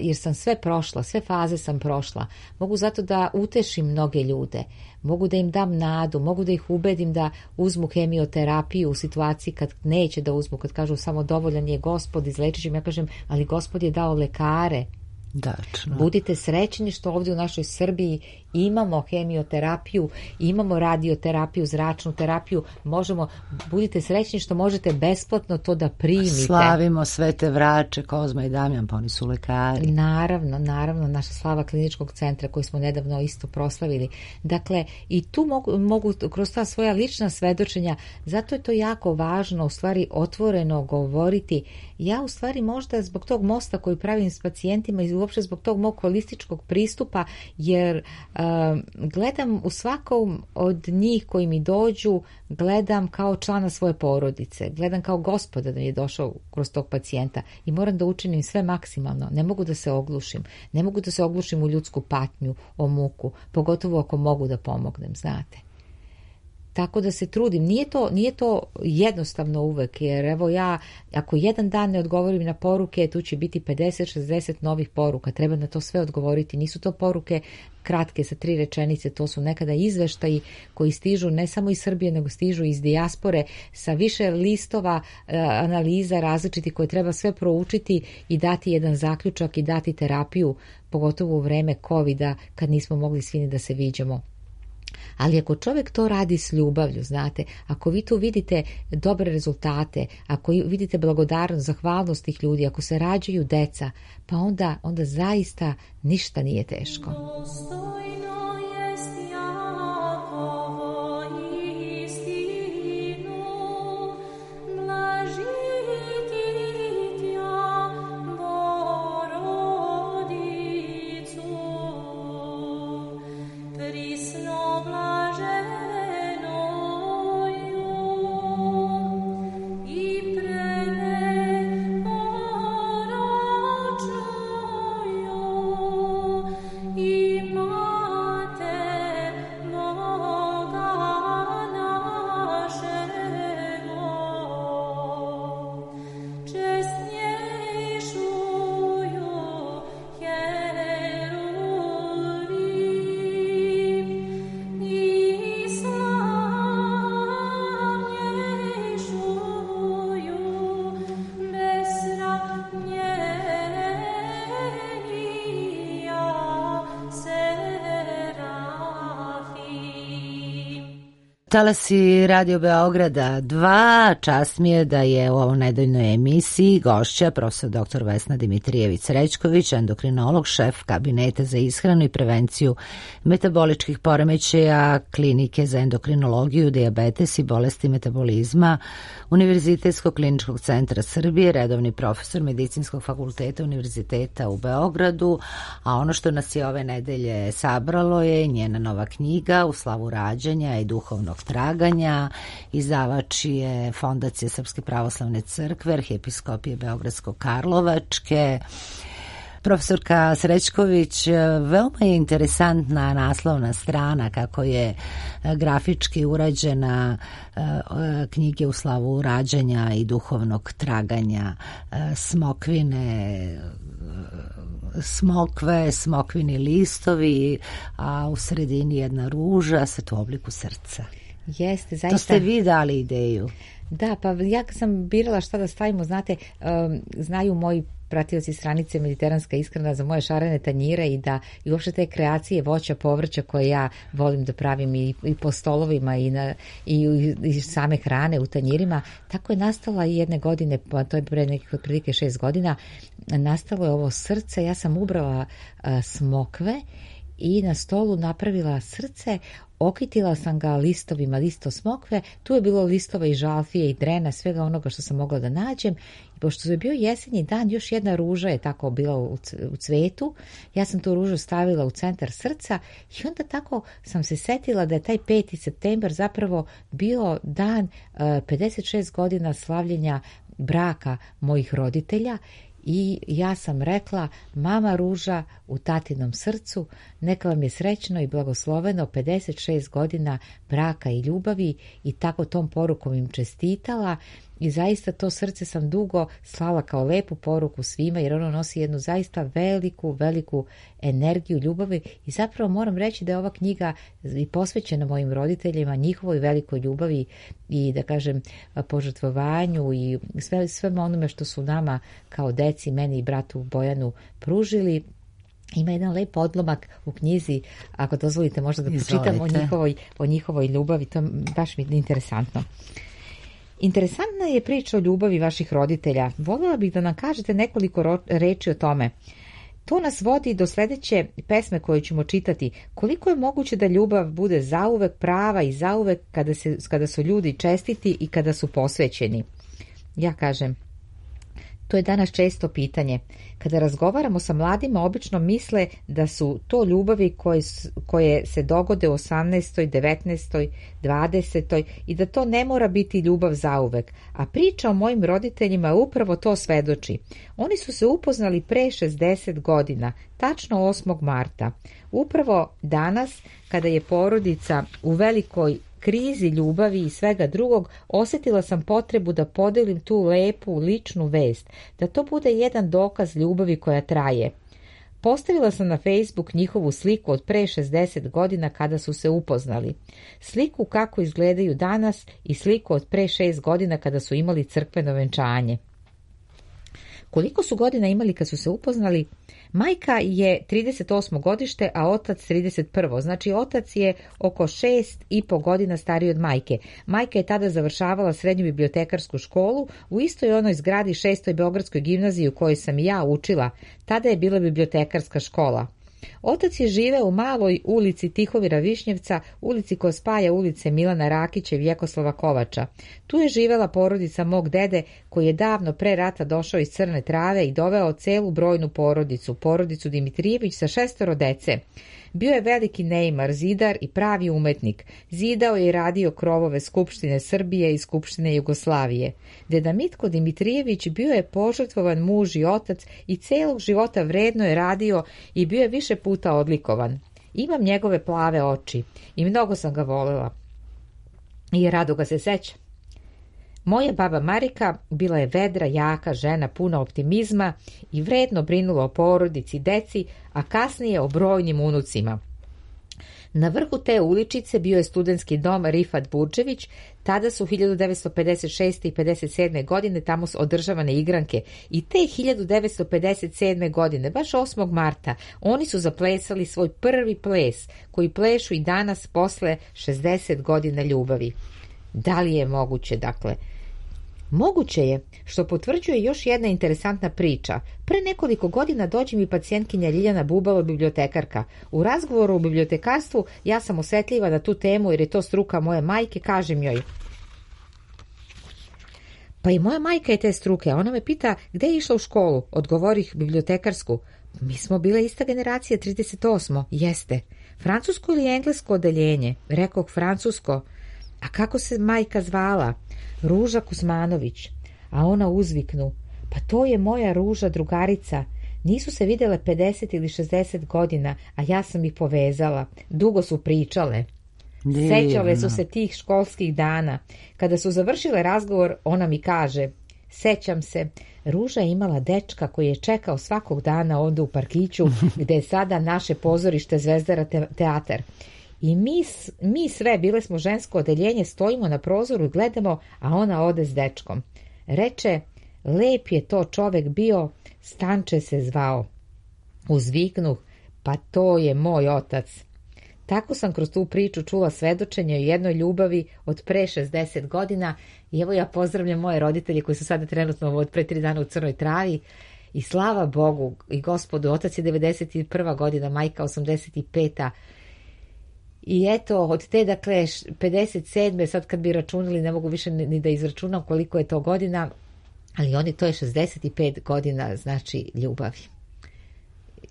jer sam sve prošla, sve faze sam prošla, mogu zato da utešim mnoge ljude, mogu da im dam nadu, mogu da ih ubedim da uzmu hemioterapiju u situaciji kad neće da uzmu, kad kažu samo dovoljan je Gospod, izlečit ću im. Ja kažem, ali Gospod je dao lekare Dačno. Budite srećni što ovdje u našoj Srbiji imamo hemioterapiju, imamo radioterapiju, zračnu terapiju, budite srećni što možete besplatno to da primite. Slavimo sve te vrače, Kozma i Damjan, pa oni su lekari. Naravno, naša slava kliničkog centra koji smo nedavno isto proslavili. Dakle, i tu mogu kroz ta svoja lična svedočenja, zato je to jako važno, u stvari otvoreno govoriti. Ja u stvari možda zbog tog mosta koji pravim s pacijentima i uopšte zbog tog mog holističkog pristupa, jer gledam u svakom od njih koji mi dođu, gledam kao člana svoje porodice, gledam kao Gospoda da mi je došao kroz tog pacijenta i moram da učinim sve maksimalno. Ne mogu da se oglušim u ljudsku patnju, o muku, pogotovo ako mogu da pomognem, znate. Tako da se trudim. Nije to jednostavno uvek, jer evo ja, ako jedan dan ne odgovorim na poruke, tu će biti 50-60 novih poruka. Treba na to sve odgovoriti. Nisu to poruke kratke sa 3 rečenice, to su nekada izveštaji koji stižu ne samo iz Srbije, nego stižu iz dijaspore sa više listova analiza različitih koje treba sve proučiti i dati jedan zaključak i dati terapiju, pogotovo u vreme COVID-a kad nismo mogli svi ni da se viđamo. Ali ako čovjek to radi s ljubavlju, znate, ako vi tu vidite dobre rezultate, ako vidite blagodarnost, zahvalnost tih ljudi, ako se rađaju deca, pa onda zaista ništa nije teško. Talasi Radio Beograda 2, čast mi je da je u ovoj nedeljnoj emisiji gošća profesor dr. Vesna Dimitrijević-Srećković, endokrinolog, šef kabineta za ishranu i prevenciju metaboličkih poremećaja Klinike za endokrinologiju, dijabetes i bolesti metabolizma Univerzitetskog kliničkog centra Srbije, redovni profesor Medicinskog fakulteta Univerziteta u Beogradu, a ono što nas je ove nedelje sabralo je njena nova knjiga U slavu rađanja i duhovnog traganja. Izdavač je Fondacija Srpske pravoslavne crkve, Arhijepiskopije Beogradsko-Karlovačke. Profesorka Srećković, veoma je interesantna naslovna strana kako je grafički urađena knjige U slavu rađanja i duhovnog traganja, smokvini listovi, a u sredini jedna ruža sa u obliku srca. Jeste, zaista. To ste vi dali ideju. Da, pa ja sam birala šta da stavimo, znate, znaju moji pratioci stranice Mediteranska ishrana za moje šarene tanjire i uopšte te kreacije voća, povrća koje ja volim da pravim i po stolovima i same hrane u tanjirima. Tako je nastala i jedne godine, pa to je pre nekih otprilike 6 godina, nastalo je ovo srce. Ja sam ubrala smokve i na stolu napravila srce, okitila sam ga listovima, listo smokve, tu je bilo listova i žalfije i drena, svega onoga što sam mogla da nađem. I pošto je bio jesenji dan, još jedna ruža je tako bila u cvetu, ja sam tu ružu stavila u centar srca i onda tako sam se setila da je taj 5. septembar zapravo bio dan 56 godina slavljenja braka mojih roditelja. I ja sam rekla, mama ruža u tatinom srcu, neka vam je srećno i blagosloveno 56 godina braka i ljubavi, i tako tom porukom im čestitala. I zaista to srce sam dugo slala kao lepu poruku svima, jer ono nosi jednu zaista veliku energiju ljubavi. I zapravo moram reći da je ova knjiga i posvećena mojim roditeljima, njihovoj velikoj ljubavi i, da kažem, požrtvovanju i sve onome što su nama kao deci, meni i bratu Bojanu, pružili. Ima jedan lep odlomak u knjizi, ako dozvolite možda da pročitam o njihovoj ljubavi, to baš mi je interesantno. Interesantna je priča o ljubavi vaših roditelja. Voljela bih da nam kažete nekoliko reči o tome. To nas vodi do sljedeće pesme koju ćemo čitati. Koliko je moguće da ljubav bude zauvek prava i zauvek kada su ljudi čestiti i kada su posvećeni? Ja kažem, to je danas često pitanje. Kada razgovaramo sa mladima, obično misle da su to ljubavi koje se dogode u 18., 19., 20. i da to ne mora biti ljubav zauvek. A priča o mojim roditeljima upravo to svedoči. Oni su se upoznali pre 60 godina, tačno 8. marta. Upravo danas, kada je porodica u velikoj krizi ljubavi i svega drugog, osjetila sam potrebu da podelim tu lepu ličnu vest, da to bude jedan dokaz ljubavi koja traje. Postavila sam na Facebook njihovu sliku od pre 60 godina kada su se upoznali. Sliku kako izgledaju danas i sliku od pre 6 godina kada su imali crkveno venčanje. Koliko su godina imali kad su se upoznali? Majka je 38. godište, a otac 31. Znači otac je oko 6,5 godina stariji od majke. Majka je tada završavala srednju bibliotekarsku školu u istoj onoj zgradi 6. Beogradskoj gimnaziji u kojoj sam i ja učila. Tada je bila bibliotekarska škola. Otac je živeo u maloj ulici Tihovira Višnjevca, ulici koja spaja ulice Milana Rakića i Vjekoslava Kovača. Tu je živela porodica mog dede koji je davno pre rata došao iz Crne Trave i doveo celu brojnu porodicu Dimitrijević sa 6 dece. Bio je veliki neimar, zidar i pravi umetnik. Zidao je i radio krovove Skupštine Srbije i Skupštine Jugoslavije. Deda Mitko Dimitrijević bio je požrtvovan muž i otac i celog života vredno je radio i bio je više puta odlikovan. Imam njegove plave oči i mnogo sam ga volela. I rado ga se sećam. Moja baba Marika bila je vedra, jaka žena, puna optimizma i vredno brinula o porodici, deci, a kasnije o brojnim unucima. Na vrhu te uličice bio je studentski dom Rifat Burđević. Tada su 1956. i 57. godine tamo održavane igranke i te 1957. godine, baš 8. marta, oni su zaplesali svoj prvi ples koji plešu i danas posle 60 godina ljubavi. Da li je moguće, dakle? Moguće je, što potvrđuje još jedna interesantna priča. Pre nekoliko godina dođe mi pacijentkinja Ljiljana Bubalo, bibliotekarka. U razgovoru o bibliotekarstvu ja sam osjetljiva na tu temu jer je to struka moje majke, kažem joj. Pa i moja majka je te struke, a ona me pita gde je išla u školu. Odgovorih bibliotekarsku. Mi smo bile ista generacija, 38. Jeste. Francusko ili englesko odeljenje? Rekoh francusko. A kako se majka zvala? Ruža Kuzmanović. A ona uzviknu, pa to je moja Ruža drugarica. Nisu se videle 50 ili 60 godina, a ja sam ih povezala. Dugo su pričale. Sećale su se tih školskih dana. Kada su završile razgovor, ona mi kaže, sećam se, Ruža je imala dečka koji je čekao svakog dana onda u parkiću, gde je sada naše pozorište Zvezdara teatar. I mi sve, bile smo žensko odeljenje, stojimo na prozoru i gledamo, a ona ode s dečkom. Reče, lep je to čovek bio, Stanče se zvao. Uzviknuh, pa to je moj otac. Tako sam kroz tu priču čula svedočenje o jednoj ljubavi od pre 60 godina i evo ja pozdravljam moje roditelje koji su sada trenutno od pre 3 dana u Crnoj Travi i slava Bogu i Gospodu, otac je 91. godina, majka 85. I eto, od te, dakle, 57. sad kad bi računali, ne mogu više ni da izračunam koliko je to godina, ali oni, to je 65 godina, znači, ljubavi.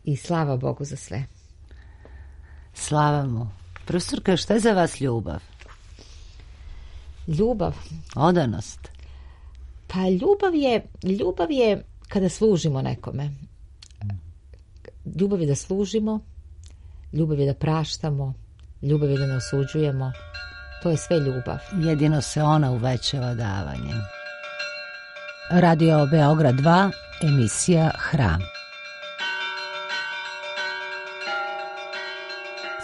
I slava Bogu za sve. Slava mu. Profesorka, šta je za vas ljubav? Ljubav? Odanost. Pa ljubav je kada služimo nekome. Ljubav je da služimo, ljubav je da praštamo, ljubav je da ne osuđujemo. To je sve ljubav. Jedino se ona uvećava davanjem. Radio Beograd 2, emisija Hram.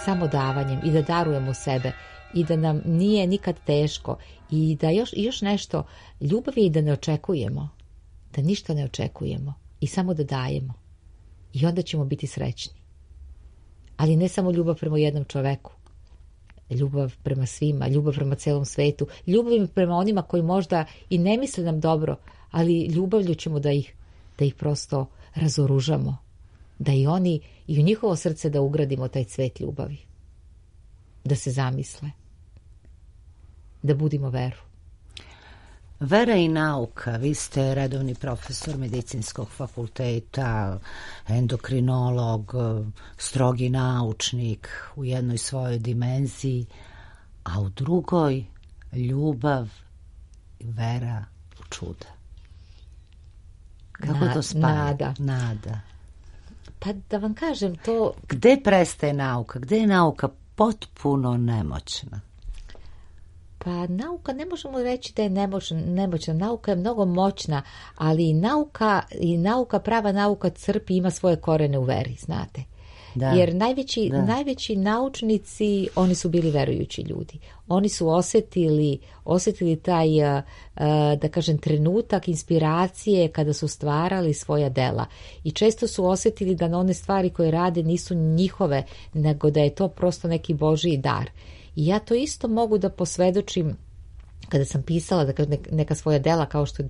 Samo davanjem i da darujemo sebe i da nam nije nikad teško i da još nešto, ljubav je i da ne očekujemo, da ništa ne očekujemo i samo da dajemo i onda ćemo biti srećni. Ali ne samo ljubav prema jednom čoveku. Ljubav prema svima, ljubav prema celom svetu, ljubav prema onima koji možda i ne misle nam dobro, ali ljubavlju ćemo da ih prosto razoružamo. Da i oni, i u njihovo srce da ugradimo taj cvet ljubavi. Da se zamisle. Da budimo veru. Vera i nauka. Vi ste redovni profesor medicinskog fakulteta, endokrinolog, strogi naučnik u jednoj svojoj dimenziji, a u drugoj ljubav i vera u čuda. Kako to spaja? Nada. Pa da vam kažem to... Gde prestaje nauka? Gde je nauka potpuno nemoćna? Pa nauka ne možemo reći da je nemoćna. Nauka je mnogo moćna, ali nauka, prava nauka crpi, ima svoje korene u veri, znate. Da. Jer najveći naučnici, oni su bili verujući ljudi. Oni su osjetili taj, da kažem, trenutak inspiracije kada su stvarali svoja dela. I često su osjetili da one stvari koje rade nisu njihove, nego da je to prosto neki Božji dar. I ja to isto mogu da posvedočim kada sam pisala neka svoja dela, kao što je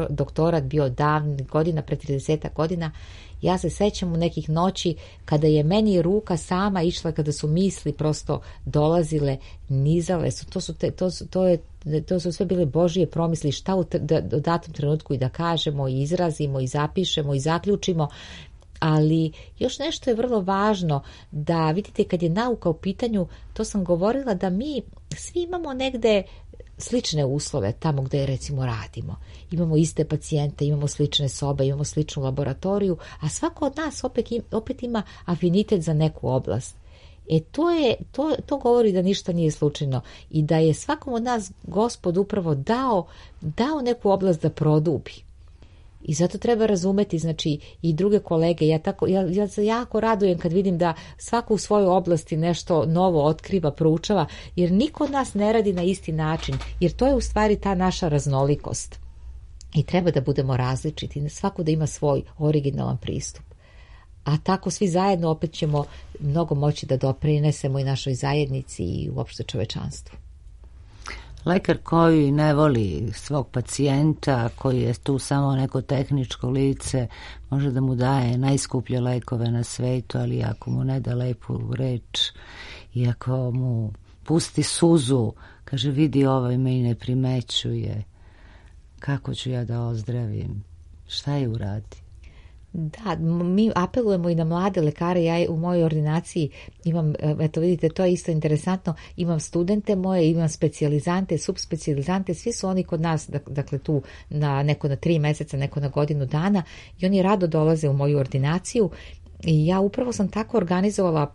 doktorat bio davnih godina, pre 30 godina. Ja se sećam u nekih noći kada je meni ruka sama išla, kada su misli prosto dolazile, nizale su. To su sve bile Božije promisli, šta u datom trenutku i da kažemo, i izrazimo, i zapišemo, i zaključimo. Ali još nešto je vrlo važno, da vidite kad je nauka u pitanju, to sam govorila, da mi svi imamo negde slične uslove tamo gde recimo radimo. Imamo iste pacijente, imamo slične sobe, imamo sličnu laboratoriju, a svako od nas opet ima afinitet za neku oblast. To govori da ništa nije slučajno i da je svakom od nas Gospod upravo dao neku oblast da produbi. I zato treba razumeti, znači, i druge kolege. Ja se jako radujem kad vidim da svako u svojoj oblasti nešto novo otkriva, proučava, jer niko od nas ne radi na isti način, jer to je u stvari ta naša raznolikost. I treba da budemo različiti, svako da ima svoj originalan pristup. A tako svi zajedno opet ćemo mnogo moći da doprinesemo i našoj zajednici i uopšte čovečanstvu. Lekar koji ne voli svog pacijenta, koji je tu samo neko tehničko lice, može da mu daje najskuplje lekove na svetu, ali ako mu ne da lepu reč i ako mu pusti suzu, kaže vidi ovaj me i ne primećuje, kako ću ja da ozdravim, šta je uradi? Da, mi apelujemo i na mlade lekare. Ja u mojoj ordinaciji imam, eto vidite, to je isto interesantno, imam studente moje, imam specijalizante, subspecijalizante, svi su oni kod nas, dakle tu neko na 3 meseca, neko na godinu dana, i oni rado dolaze u moju ordinaciju. I ja upravo sam tako organizovala,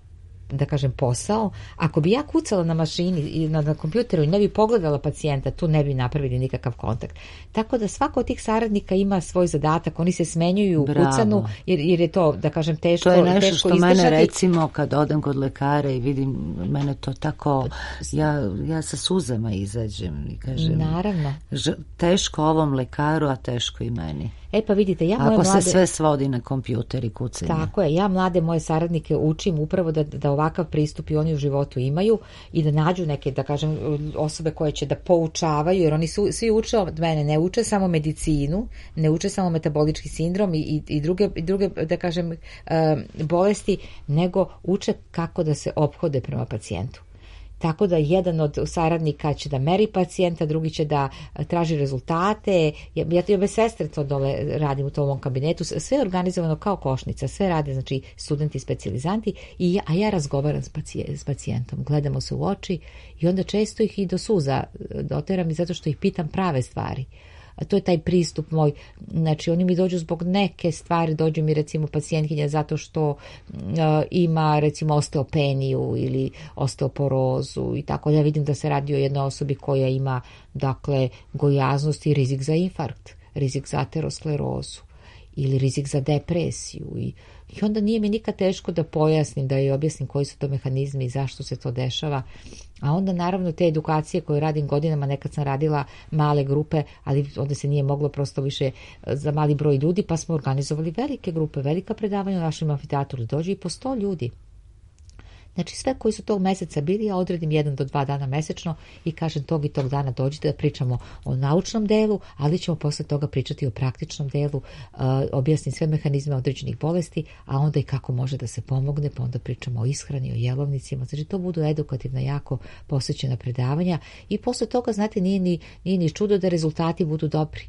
da kažem, posao. Ako bi ja kucala na mašini i na kompjuteru i ne bi pogledala pacijenta, tu ne bi napravili nikakav kontakt. Tako da svako od tih saradnika ima svoj zadatak, oni se smenjuju u kucanu, jer je to, da kažem, teško izdržati. To je nešto što mene, recimo, kad odem kod lekara i vidim, mene to tako, ja sa suzama izađem i kažem, naravno, teško ovom lekaru, a teško i meni. Pa vidite, ja moje mlade... se sve svodi na kompjuter i kucanje. Tako je, ja mlade moje saradnike učim upravo da ovakav pristup i oni u životu imaju i da nađu neke, da kažem, osobe koje će da poučavaju, jer oni svi uče od mene, ne uče samo medicinu, ne uče samo metabolički sindrom i druge, da kažem, bolesti, nego uče kako da se ophode prema pacijentu. Tako da jedan od saradnika će da meri pacijenta, drugi će da traži rezultate. Ja bez sestre to dole radim u tom kabinetu. Sve je organizovano kao košnica. Sve rade, znači, studenti, specijalizanti. A ja razgovaram s pacijentom. Gledamo se u oči i onda često ih i do suza doteram i zato što ih pitam prave stvari. A to je taj pristup moj. Znači, oni mi dođu zbog neke stvari, dođu mi recimo pacijentkinja zato što ima recimo osteopeniju ili osteoporozu i tako. Ja vidim da se radi o jednoj osobi koja ima, dakle, gojaznost i rizik za infarkt, rizik za aterosklerozu ili rizik za depresiju i onda nije mi nikad teško da pojasnim, da joj objasnim koji su to mehanizmi i zašto se to dešava. A onda naravno te edukacije koje radim godinama, nekad sam radila male grupe, ali onda se nije moglo prosto više za mali broj ljudi, pa smo organizovali velike grupe, velika predavanja u našem amfiteatru, dođe i po 100 ljudi. Znači sve koji su tog meseca bili, ja odredim 1 do 2 dana mesečno i kažem tog i tog dana dođite da pričamo o naučnom delu, ali ćemo posle toga pričati o praktičnom delu, objasnim sve mehanizme određenih bolesti, a onda i kako može da se pomogne, pa onda pričamo o ishrani, o jelovnicima, znači to budu edukativna, jako posvećena predavanja i posle toga, znate, nije ni čudo da rezultati budu dobri.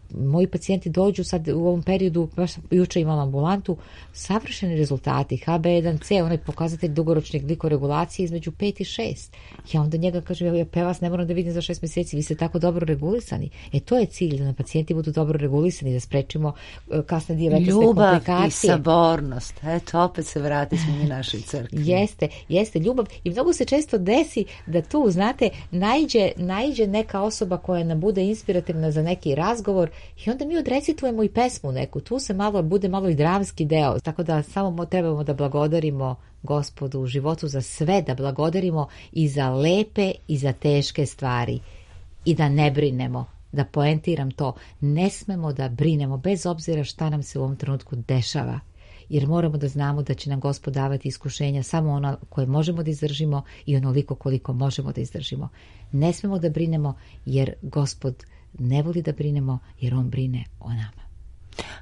Moji pacijenti dođu sad u ovom periodu, baš juče imam ambulantu, savršeni rezultati, HB1C, onaj pokazatelj dugoročne glikoregulacije između 5 i 6. Ja onda njega kažem, ja vas ne moram da vidim za 6 mjeseci, vi ste tako dobro regulisani. To je cilj, da na pacijenti budu dobro regulisani, da sprečimo kasne diabetesne komplikacije. Ljubav i sabornost, eto, opet se vrati smo mi našoj crkvi. Jeste ljubav i mnogo se često desi da tu, znate, naiđe neka osoba koja nam bude inspirativna za neki razgovor i onda mi odrecitujemo i pesmu neku, tu se bude malo i dramski deo, tako da samo trebamo da blagodarimo Gospodu u životu za sve, da blagodarimo i za lepe i za teške stvari i da ne brinemo, da poentiram to, ne smemo da brinemo bez obzira šta nam se u ovom trenutku dešava, jer moramo da znamo da će nam Gospod davati iskušenja samo ona koje možemo da izdržimo i onoliko koliko možemo da izdržimo. Ne smemo da brinemo jer Gospod ne voli da brinemo jer on brine o nama.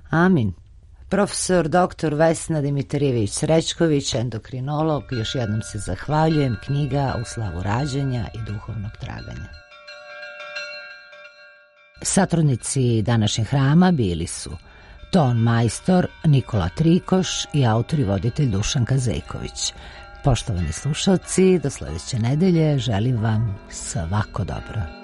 Amin. Profesor dr. Vesna Dimitrijević Srećković, endokrinolog, još jednom se zahvaljujem, knjiga U slavu rađanja i duhovnog traganja. Satrudnici današnjeg hrama bili su ton majstor Nikola Trikoš i autor i voditelj Dušan Kazejković. Poštovani slušalci, do sledeće nedelje želim vam svako dobro.